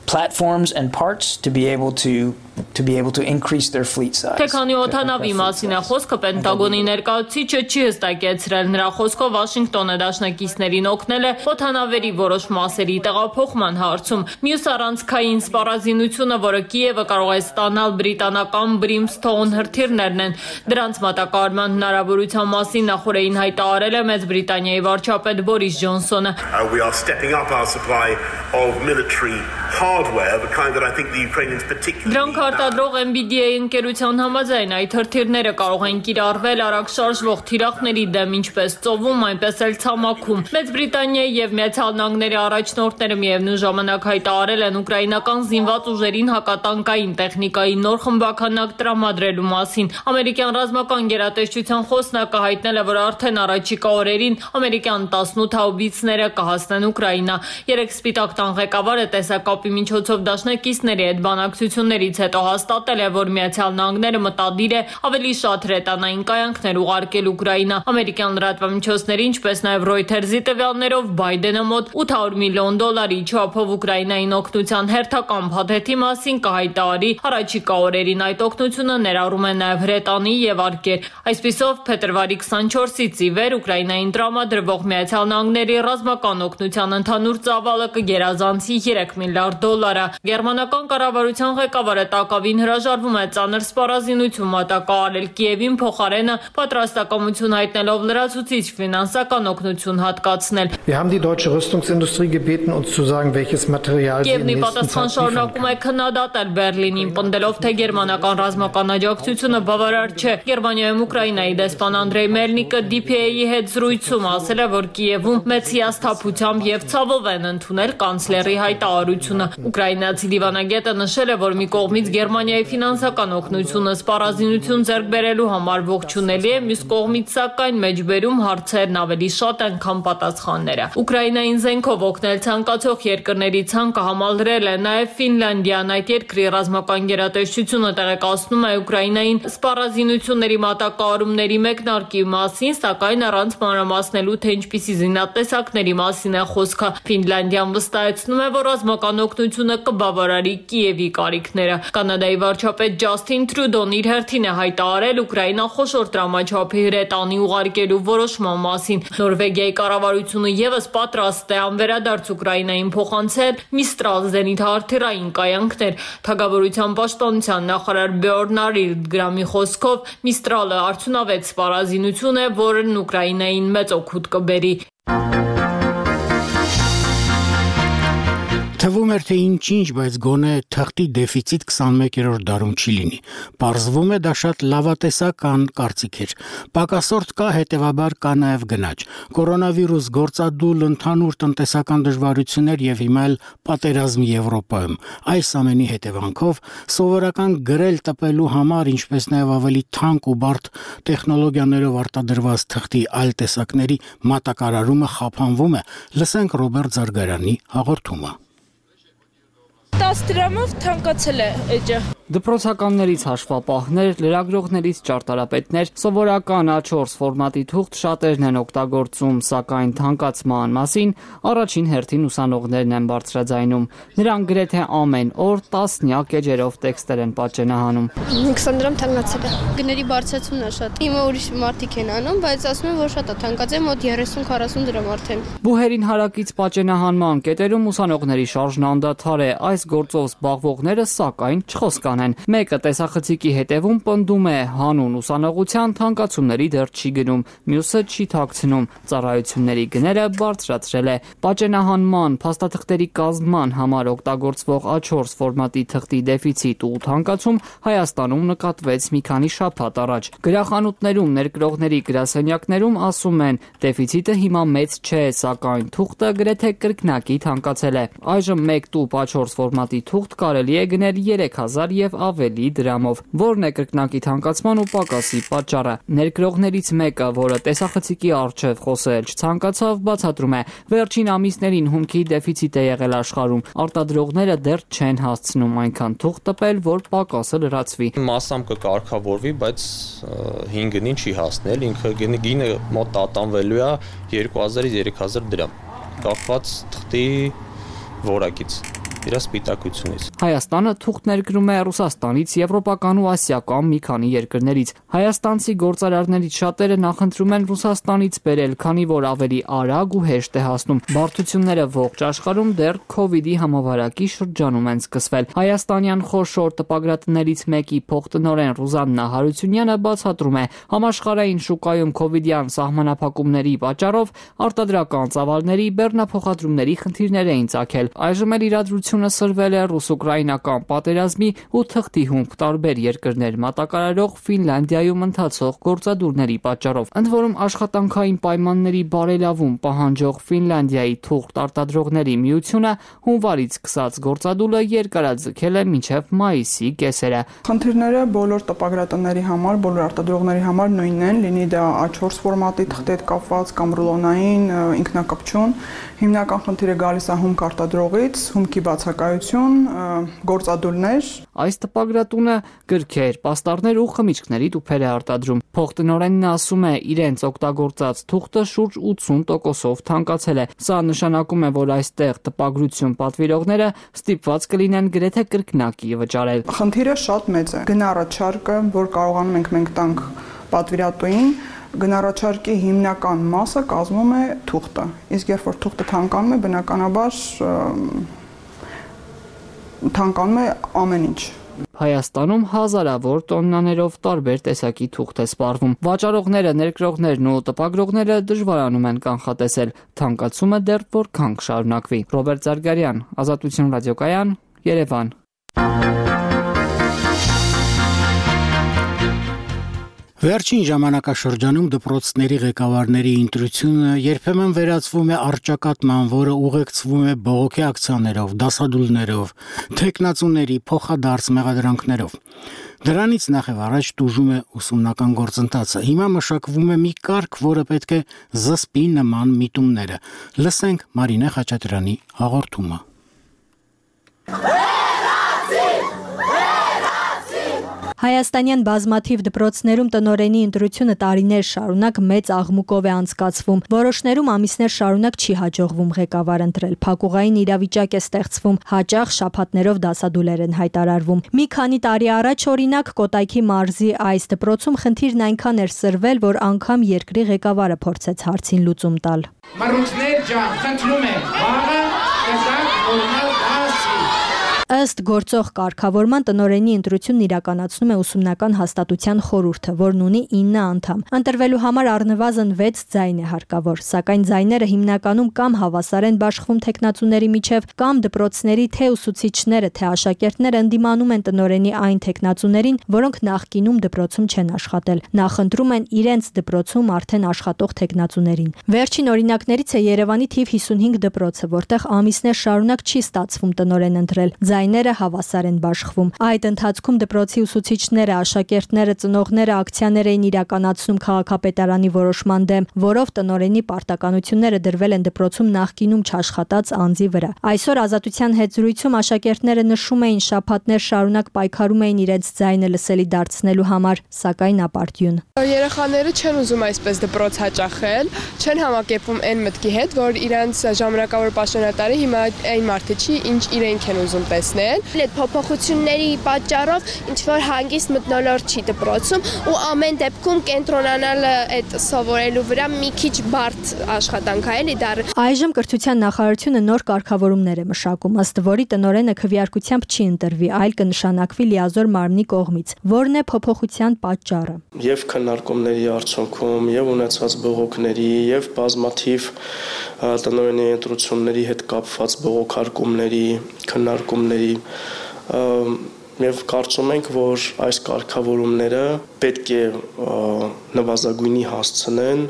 platforms and parts to be able to to be able to increase their fleet size. Թե քանի օդանավի մասին է խոսքը, Պենտագոնի ներկայացուցիչը չի հստակեցրել։ Նրա խոսքով Վաշինգտոնը դաշնակիցներին օգնել է օդանավերի որոշ մասերի տեղափոխման հարցում։ Մյուս առանցքային սպառազինությունը, որը Կիևը կարող է ստանալ բրիտանական Brimstone հրթիռներն են, դրանց մատակարարման հնարավորության մասին նախորդին հայտարարել է Մեծ Բրիտանիայի վարչապետ Բորիս Ջոնսոնը։ We are stepping up our supply of military hardware, the kind that I think the Ukrainians particularly Արտադրող N B D A ընկերության համաձայն այդ հրթիռները կարող են կիրառվել արագ շարժվող թիրախների դեմ ինչպես ծովում, այնպես էլ ցամաքում։ Մեծ Բրիտանիայի եւ Միացյալ Նահանգների առաջնորդները միևնույն ժամանակ հայտարարել են ուկրաինական զինված ուժերին հակատանկային տեխնիկայի նոր խմբականակ տրամադրելու մասին։ Ամերիկյան ռազմական գերատեսչության խոսնակը հայտնել է, որ արդեն առաջիկա օրերին ամերիկյան տասնութ հաուբիցները կհասնեն Ուկրաինա։ Երեք Սպիտակ տան ղեկավարը տեսակապի միջոցով դաշնակիցների հետ բանակցություններից հետո հաստատել է, որ Միացյալ Նահանգները մտադիր է ավելի շատ հրետանային կայանքներ ուղարկել Ուկրաինա։ Ամերիկյան լրատվամիջոցների, ինչպես նաև Reuters-ի տվյալներով Բայդենը մոտ ութ հարյուր միլիոն դոլարի չափով Ուկրաինային օգնության հերթական փաթեթի մասին կհայտարարի առաջիկա օրերին։ Այդ օգնությունը ներառում է նաև հրետանի եւ արկեր։ Այսպիսով փետրվարի քսանչորսից ի վեր Ուկրաինային տրամադրվող Միացյալ Նահանգների ռազմական օգնության ընդհանուր ծավալը կգերազանցի երեք միլիարդ դոլարը։ Գերմանական կառավարության ղեկավարը տակավին հրաժարվում է ծանր սպառազինություն մատակարարել Կիևին, փոխարենը պատրաստակամություն հայտնելով լրացուցիչ ֆինանսական օգնություն հատկացնել։ Wir haben die deutsche Rüstungsindustrie gebeten, uns zu sagen, welches Material sie in Կիևնի nächsten պատասխան Zeit շարունակում է քննադատել Բերլինին, պնդելով, թե գերմանական ռազմական աջակցությունը բավարար չէ։ Գերմանիայում Ուկրաինայի դեսպան Անդրեյ Մելնիկը D P A-ի հետ զրույցում ասել է, որ Կիևում մեծ հիասթափությամբ եւ ցավով են ընդունել կանցլերի հայտարարությունը։ Ուկրաինացի դիվանագետը նշել է, որ մի կողմից Գերմանիայի ֆինանսական օգնությունը սպառազինություն ձեռք բերելու համար ողջունելի է, մյուս կողմից սակայն մեջբերում հարցերն ավելի շատ են, քան պատասխանները։ Ուկրաինային զենքով օգնել ցանկացող երկրների ցանկը համալրել է նաև Ֆինլանդիան։ Այդ երկրի ռազմական գերատեսչությունը տեղեկացնում է Ուկրաինային սպառազինությունների մատակարարումների մեկնարկի մասին, սակայն առանց մանրամասնելու, թե ինչպիսի զինատեսակների մասին է խոսքը։ Ֆինլանդիան վստահեցնում է, որ ռազմական օգնությունը կբավարարի Կիևի կարիքները։ Կանադայի վարչապետ Ջասթին Տրյուդոն իր հերթին է հայտարարել Ուկրաինան խոշոր տրամաչափի հրետանի ուղարկելու որոշման մասին։ Նորվեգիայի կառավարությունը եւս պատրաստ է անվերադարձ Ուկրաինային փոխանցել Միստրալ զենիթահրթիռային կայանքներ։ Թագավորության պաշտպանության նախարար Բյորնարիլ Գրամի խոսքով Միստրալը արդյունավետ սպառազինություն է, որն Ուկրաինային մեծ օգուտ կբերի։ Թվում էր, թե ինչ-ինչ, բայց գոնե թղթի դեֆիցիտ քսանմեկերորդ դարում չի լինի։ Պարզվում է, դա շատ լավատեսական կարծիք էր։ Պակասորդ կա, հետևաբար կա նաև գնաճ։ Կորոնավիրուս, գործադուլ, ընդհանուր տնտեսական դժվարություններ եւ հիմա էլ պատերազմ Եվրոպայում։ Այս ամենի հետևանքով սովորական գրել տպելու համար, ինչպես նաև ավելի թանկ ու բարդ տեխնոլոգիաներով արտադրված թղթի այլ տեսակների մատակարարումը խափանվում է։ Լսենք Ռոբերտ Զարգարյանի հաղորդումը։ տասը դրամով թանկացել է էջը։ Դպրոցականներից հաշվապահներ, լրագրողներից ճարտարապետներ սովորական A չորս ֆորմատի թուղթ շատերն են օգտագործում, սակայն թանկացման մասին առաջին հերթին ուսանողներն են բարձրաձայնում։ Նրանք գրեթե ամեն օր տասնյակ էջերով տեքստեր են պատճենահանում։ քսան դրամ թանկացել է։ Գների բարձրացումն է շատ։ Հիմա ուրիշ մարդիկ են անում, բայց ասում են, որ շատ է թանկացել, մոտ երեսուն քառասուն դրամ արդեն։ Բուհերին հարակից պատճենահանման կետերում ուսանողների շարժն անդադար է։ Այս գործով զբաղվողները սակայն չխոսկանեն։ Մեկը տեսախցիկի հետևում պնդում է հանուն ուսանողության թանկացումների դեռ չի գնում, մյուսը չի թաքցնում, ծառայությունների գները բարձրացրել է։ Պատճենահանման, փաստաթղթերի կազմման համար օգտագործվող A չորս ֆորմատի թղթի դեֆիցիտ ու թանկացում Հայաստանում նկատվեց մի քանի շաբաթ առաջ։ Գրախանութներում, ներկրողների գրասենյակներում ասում են, դեֆիցիտը հիմա մեծ չէ, սակայն թուղթը գրեթե կրկնակի թանկացել է։ Այժմ մեկ տուփ A չորս ֆորմատի թուղթ կարելի է գնել երեք հազար եւ ավելի դրամով։ Որն է կրկնակի թանկացման ու պակասի պատճառը։ Ներգրողներից մեկը, որը տեսախցիկի առջև խոսել չցանկացավ, բացատրում է. վերջին ամիսներին հումքի դեֆիցիտ է եղել աշխարհում։ Արտադրողները դեռ չեն հասցնում այնքան թուղթ տպել, որ պակասը լրացվի։ Մասամբ կկարգավորվի, բայց հին գնին չի հասնել, ինքը գինը մոտ տատանվելու է երկու հազարից երեք հազար դրամ, կախված թղթի որակից, իր սպիտակությունից։ Հայաստանը թուղթ ներկրում է Ռուսաստանից, Եվրոպական ու ասիական մի քանի երկրներից։ Հայաստանցի գործարարներից շատերը նախընտրում են Ռուսաստանից բերել, քանի որ ավելի արագ ու հեշտ է հասնում։ Բարդությունները ողջ աշխարհում դեռ քովիդի համավարակի շրջանում են սկսվել։ Հայաստանյան խոշոր տպագրատներից մեկի փոխտնօրեն Ռուզաննա Հարությունյանը բացատրում է. համաշխարհային շուկայում քովիդյան սահմանափակումների պատճառով արտադրական ծավալների բեռնափոխադրումների խնդիրներ էին ծագել։ Այժմ էլ իրադրությունը սրվել է ռուս-ուկրաինական պատերազմի ու թղթի հումք տարբեր երկրներ մատակարարող Ֆինլանդիայում ընթացող գործադուլների պատճառով։ Ընդ որում աշխատանքային պայմանների բարելավում պահանջող Ֆինլանդիայի թուղթ արտադրողների միությունը հունվարից սկսած գործադուլը երկարաձգել է մինչև մայիսի կեսերը։ Խնդիրները բոլոր տպագրատների համար, բոլոր արտադրողների համար նույնն են, լինի դա A four ֆորմատի թղթի հետ կապված կամ ռուլոնային ինքնակպչուն։ Հիմնական խնդիրը գալիս է հումք արտադրողից, հումքի բացակայություն, գործադուլներ։ Այս տպագրատունը գրքեր, պաստառներ ու խմիչքների տուփեր է արտադրում։ Փոխտնօրենն ասում է, իրենց օգտագործած թուղթը շուրջ ութսուն տոկոսով թանկացել է։ Սա նշանակում է, որ այստեղ տպագրություն պատվիրողները ստիպված կլինեն գրեթե կրկնակի վճարել։ Խնդիրը շատ մեծ է։ Գնառաչարկը, որ կարողանում ենք մենք տանք պատվիրատուին, գնառաչարկի հիմնական մասը կազմում է թուղթը։ Իսկ երբ որ թուղթը թանկանում է, բնականաբար թանկանում է ամեն ինչ։ Հայաստանում հազարավոր տոննաներով տարբեր տեսակի թուղթ է սպառվում։ Վաճառողները, ներկրողներն ու տպագրողները դժվարանում են կանխատեսել թանկացումը դեռ որքան կշարունակվի։ Ռոբերտ Զարգարյան, Ազատություն ռադիոկայան, Երևան։ Վերջին ժամանակաշրջանում դպրոցների ղեկավարների ընտրությունը երբեմն վերածվում է առճակատման, որը ուղեկցվում է բողոքի ակցիաներով, դասադուլներով, թեկնածուների փոխադարձ մեղադրանքներով։ Դրանից նախ եւ առաջ տուժում է ուսումնական գործընթացը։ Հիմա մշակվում է մի կարգ, որը պետք է զսպի նման միտումները։ Լսենք Մարինե Խաչատրյանի հաղորդումը։ Հայաստանյան բազմաթիվ դպրոցներում տնօրենի ընտրությունը տարիներ շարունակ մեծ աղմուկով է անցկացվում։ Որոշներում ամիսներ շարունակ չի հաջողվում ղեկավար ընտրել։ Փակուղային իրավիճակ է ստեղծվում, հաճախ շաբաթներով դասադուլեր են հայտարարվում։ Մի քանի տարի առաջ, օրինակ, Կոտայքի մարզի այս դպրոցում խնդիրն այնքան էր սրվել, որ անգամ երկրի ղեկավարը փորձեց հարցին լուծում տալ։ Մարութներ ջան, խնդրում եմ, վաղը կզակ նորմալ դասի։ Ըստ գործող կարգավորման տնօրենի ընտրությունն իրականացնում է ուսումնական հաստատության խորհուրդը, որն ունի ինը անդամ։ Ընտրվելու համար առնվազն վեց ձայն է հարկավոր, սակայն ձայները հիմնականում կամ հավասար են բաշխվում թեկնածուների միջև, կամ դպրոցների թե ուսուցիչները, թե աշակերտները ընդդիմանում են տնօրենի այն թեկնածուներին, որոնք նախկինում դպրոցում չեն աշխատել, նախընտրում են իրենց դպրոցում արդեն աշխատող թեկնածուներին։ Վերջին օրինակներից է Երևանի թիվ հիսունհինգ դպրոցը, որտեղ ամիսներ շարունակ չի ստացվում տնօրեն ընտրել։ Ձայները հավասար են բաշխվում։ Այդ ընթացքում դպրոցի ուսուցիչները, աշակերտները, ծնողները ակցիաներ էին իրականացնում քաղաքապետարանի որոշման դեմ, որով տնօրենի պարտականությունները դրվել են դպրոցում նախկինում չաշխատած անձի վրա։ Այսօր Ազատության հետ զրույցում աշակերտները նշում էին շաբաթներ շարունակ պայքարում էին իրենց ձայնը լսելի դարձնելու համար, սակայն ապարդյուն։ Երեխաները չեն ուզում այսպես դպրոց հաճախել, չեն համակերպվում այն մտքի հետ, որ իրենց ժամանակավոր պաշտոնատարը հիմա այն մարդը չի, ինչ իրենք են ուզում տեսնել։ Այդ փոփոխությունների պատճառով ինչ որ հանգիստ մթնոլորտ չի դպրոցում ու ամեն դեպքում կենտրոնանալը այդ սովորելու վրա մի քիչ բարդ աշխատանք է, էլի դա։ Այժմ կրթության նախարարությունը նոր կարգավորումներ է մշակում, ըստ որի տնօրենը քվեարկությամբ չի ընտրվի, այլ կնշանակվի լիազոր մարմնի կողմից։ Որն է փոփոխության պատճառը։ Եվ քննարկումների արդյունքում, եւ ունեցած բողոքների, եւ բազմաթիվ տնօրենի ընտրությունների հետ կապված բողոքարկումների, քննարկումների Եվ կարծում ենք, որ այս կարգավորումները պետք է նվազագույնի հասցնեն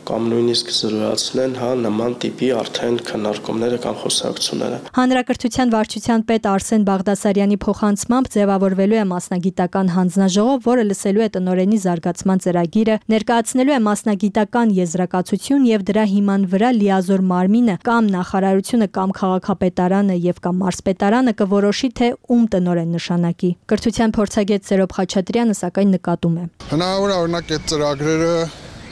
կամ նույնիսկ զրոյացնեն հա նման տիպի արդեն քննարկումները կամ խոսակցությունները։ Հանրակրթության վարչության պետ Արսեն Բաղդասարյանի փոխանցմամբ ձևավորվելու է մասնագիտական հանձնաժողով, որը լսելու է տնօրենի զարգացման ծրագիրը, ներկայացնելու է մասնագիտական եզրակացություն եւ դրա հիման վրա լիազոր մարմինը կամ նախարարությունը կամ քաղաքապետարանը եւ կամ մարզպետարանը կորոշի թե ում տնօրեն նշանակի։ Կրթության փորձագետ Սերոբ Խաչատրյանը սակայն նկատում է։ Հնարավոր է օրինակ այդ ծրագրերը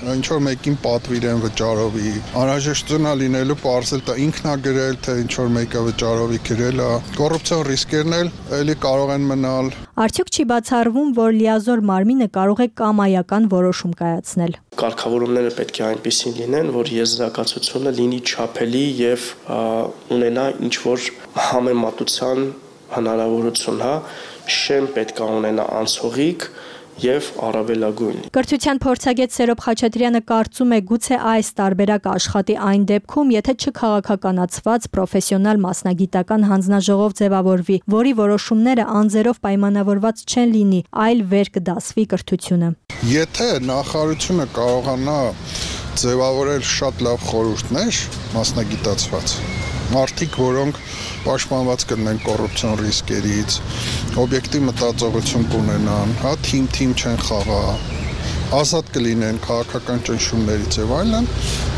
ինչ որ մեկին պատվիրեն վճարովի, անհրաժեշտություն է լինելու պարզել թե ինքն է գրել, թե ինչ որ մեկը վճարովի գրել է, կոռուպցիոն ռիսկերն էլ էլի կարող են մնալ։ Արդյոք չի բացառվում, որ լիազոր մարմինը կարող է կամայական որոշում կայացնել։ Կարգավորումները պետք է այնպեսին լինեն, որ եզրակացությունը լինի չափելի եւ ունենա ինչ որ համեմատության հնարավորություն, հա, շեմ պետք է ունենա անցողիկ եւ առավելագույն։ Կրթության փորձագետ Սերոբ Խաչատրյանը կարծում է գուցե այս տարբերակը աշխատի այն դեպքում, եթե չքաղաքականացված պրոֆեսիոնալ մասնագիտական հանձնաժողով ձևավորվի, որի որոշումները անձերով պայմանավորված չեն լինի, այլ վեր կդասվի կրթությունը։ Եթե նախարարությունը կարողանա ձևավորել շատ լավ խորհուրդներ մասնագիտացված, մարդիկ, որոնք պաշտպանված կլինեն կոռուպցիոն ռիսկերից, օբյեկտիվ մտածողություն կունենան, հա, թիմ-թիմ չեն խաղա, ազատ կլինեն քաղաքական ճնշումներից եւ այլն,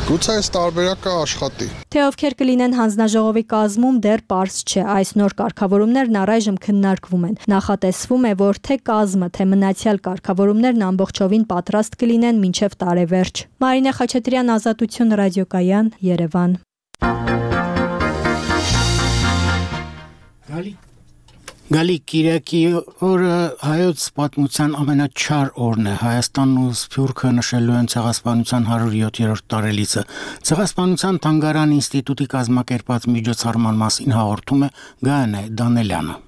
գուցե այս տարբերակը աշխատի։ Թե ովքեր կլինեն հանձնաժողովի կազմում դեռ պարզ չէ, այս նոր կարգավորումներն առայժմ քննարկվում են։ Նախատեսվում է, որ թե կազմը, թե մնացյալ կարգավորումներն ամբողջովին պատրաստ կլինեն մինչև տարեվերջ։ Մարինե Խաչատրյան, Ազատություն, Ռադիոկայան, Երևան։ Գալի Գալի Կիրակի օրը հայոց պատմության ամենաչար օրն է։ Հայաստանն ու Սփյուռքը նշելու են ցեղասպանության հարյուր յոթերորդ տարելիցը։ Ցեղասպանության թանգարան ինստիտուտի կազմակերպած միջոցառման մասին հաղորդում է Գայանե Դանելյանը։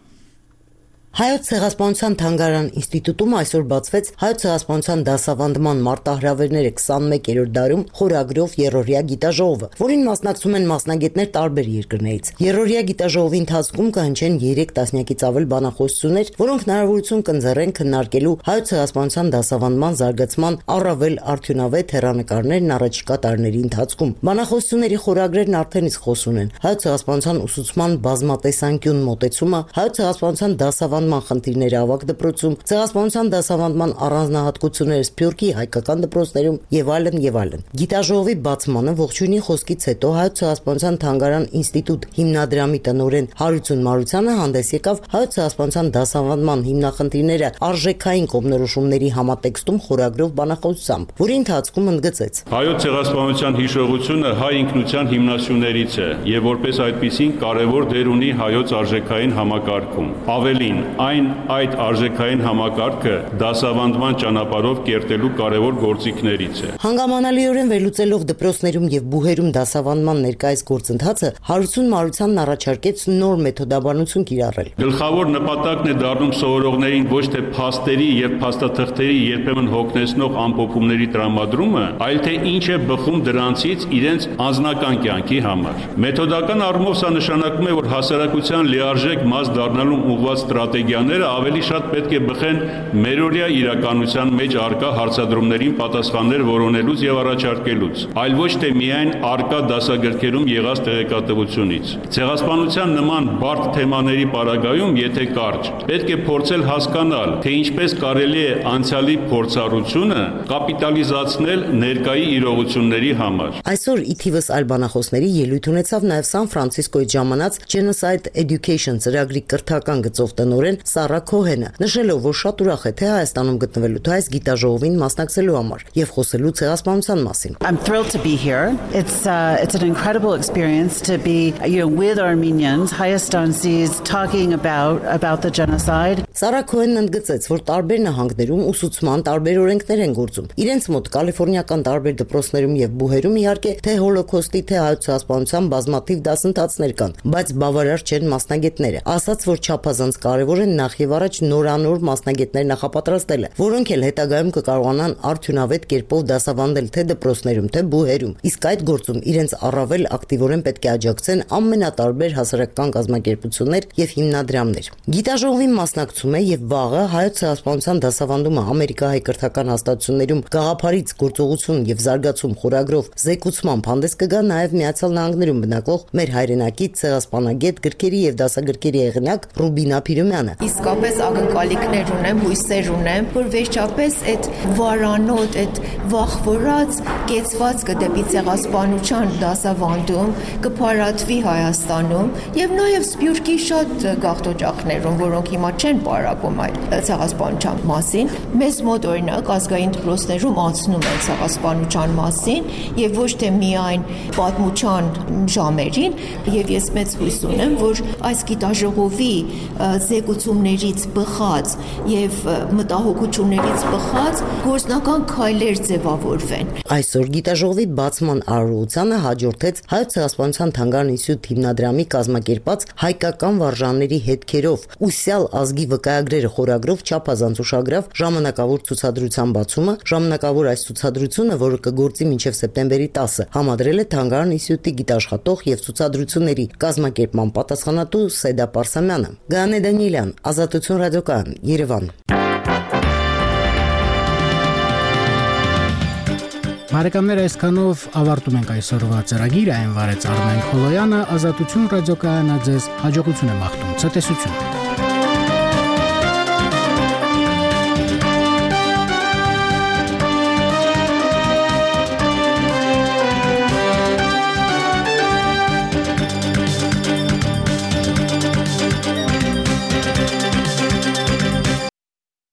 Հայոց ցեղասպանության թանգարան ինստիտուտում այսօր բացվեց հայոց ցեղասպանության դասավանդման մարտահրավերները քսաներորդ դարում խորագրով երրորդյա գիտաժողովը, որին մասնակցում են մասնագետներ տարբեր երկրներից։ Երրորդյա գիտաժողովի ընթացքում կհնչեն երեք տասնյակից ավել բանախոսություններ, որոնք հնարավորություն կընձեռեն քննարկելու հայոց ցեղասպանության դասավանդման զարգացման առավել արդյունավետ հեռանկարներն առաջիկա տարիների ընթացքում։ Բանախոսությունների խորագրերն արդեն իսկ խոսուն են։ Հայոց ցեղասպանության ուսուցման բազմատեսանկյուն մոտեցումը, հայոց ցեղասպանության դասավանդման խնդիրները ավագ դպրոցում, ցեղասպանության դասավանդման առանձնահատկությունները Սփյուռքի հայկական դպրոցներում եւ այլն եւ այլն։ Գիտաժողովի բացմանը ողջույնի խոսքից հետո հայոց ցեղասպանության թանգարան ինստիտուտ հիմնադրամի տնօրեն Հարություն Մարությանը հանդես եկավ հայոց ցեղասպանության դասավանդման հիմնախնդիրները արժեքային կողմնորոշումների համատեքստում խորագրով բանախոսությամբ, որի ընթացքում ընդգծեց. Հայոց ցեղասպանության հիշողությունը հայ ինքնության հիմնասյուներից է եւ որպես այդպիսին կարեւոր դեր ունի հայոց արժեքային համակարգում։ Ավելին, այն այդ արժեքային համակարգը դասավանդման ճանապարհով կերտելու կարևոր գործիքներից է։ Հանգամանալիորեն վերլուծելով դպրոցներում եւ բուհերում դասավանդման ներկայիս գործընթացը, Հարություն Մարությանն առաջարկեց նոր մեթոդաբանություն կիրառել։ Գլխավոր նպատակն է դառնում սովորողներին ոչ թե փաստերի եւ փաստաթղթերի երբեմն հոգնեցնող ամփոփումների տրամադրումը, այլ թե ինչ է բխում դրանցից իրենց անձնական կյանքի համար։ Մեթոդական առումով սա նշանակում է, որ հասարակության լիարժեք մաս դառնալու ուղղված ստրատեգիաները ավելի շատ պետք է բխեն մերօրյա իրականության մեջ արկա հարցադրումներին պատասխաններ որոնելուց եւ առաջարկելուց, այլ ոչ թե միայն արկա դասագրքերում եղած տեղեկատվությունից։ Ցեղասպանության նման բարդ թեմաների պարագայում, եթե կարճ, պետք է փորձել հասկանալ, թե ինչպես կարելի է անցյալի փորձառությունը կապիտալիզացնել ներկայի իրողությունների համար։ Այսօր ի թիվս այլ բանախոսների ելույթ ունեցավ նաև Սան Ֆրանցիսկոյի ժամանած Genocide Education ծրագրի կրթական գծով տնօրեն Սարա Քոհենը, նշելով, որ շատ ուրախ է թե Հայաստանում գտնվելու թե այս գիտաժողովին մասնակցելու համար եւ խոսելու ցեղասպանության մասին։ I'm thrilled to be here. It's uh, it's an incredible experience to be, you know, with Armenians, Հայաստանցիս talking about about the genocide. Սարա Քոհենն ընդգծեց, որ տարբեր նահանգներում ուսուցման տարբեր օրենքներ են գործում։ Իրենց մոտ կալիֆոռնիական տարբեր դպրոցներում եւ բուհերում իհարկե թե հոլոկոստի թե հայոց ցեղասպանության բազմաթիվ դասընթացներ կան, բայց բավարար չեն մասնագետները։ Ասաց, որ չափազանց կարևոր է են նախ եւ առաջ նորանոր մասնագետներ նախապատրաստելը, որոնք էլ հետագայում կկարողանան արդյունավետ կերպով դասավանդել թե դպրոցներում, թե բուհերում։ Իսկ այդ գործում իրենց առավել ակտիվորեն պետք է աջակցեն ամենատարբեր հասարակական կազմակերպություններ եւ հիմնադրամներ։ Գիտաժողովին մասնակցում է եւ վաղը հայոց ցեղասպանության դասավանդումը ամերիկահայ կրթական հաստատություններում գաղափարից գործողություն եւ զարգացում խորագրով զեկուցմամբ հանդես կգա նաեւ Միացյալ Նահանգներում բնակվող մեր հայրենակից ցեղասպանագետ գրքերի եւ դասագրքերի եղնակ Ռուբինա Փիրումյանը։ Իսկապես ակնկալիքներ ունեմ, հույսեր ունեմ, որ վերջապես այդ վարանոտ, այդ վախվորած կեցվածքը դեպի ցեղասպանության դասավանդում կփարատվի Հայաստանում եւ նաեւ Սփյուռքի շատ գաղթօջախներում, որոնք հիմա չեն պարապում այդ ցեղասպանության մասին։ Մեզ մոտ օրինակ ազգային դպրոցներում անցնում է ցեղասպանության մասին եւ ոչ թե միայն պատմության ժամերին, եւ ես մեծ հույս ունեմ, որ այս գիտաժողովի զեկուցումներից բխած եւ մտահոգություններից բխած գործնական քայլեր ձևավորվեն։ Այսօր գիտաժողովի բացման արարողությանը հաջորդեց Հայոց ցեղասպանության թանգարան ինստիտուտ հիմնադրամի կազմակերպած հայկական վարժանների հետքերով ուսյալ ազգի վկայագրերը խորագրով չափազանց ուշագրավ ժամանակավոր ցուցադրության բացումը։ Ժամանակավոր այս ցուցադրությունը, որը կգործի մինչև սեպտեմբերի տասը, համադրել է թանգարան ինստիտուտի գիտաշխատող եւ ցուցադրությունների կազմակերպման պատասխանատու Սեդա Պարսամյանը։ Գանե Դանիելյան, Ազատություն ռադիոկայան, Երևան։ Բարեկամներ, այսքանով ավարտում ենք այսօրվա ծրագիրը, այն վարեց Արմեն Խոլոյանը, Ազատություն ռադիոկայանը ձեզ հաջողություն է մաղթում, ցտեսություն։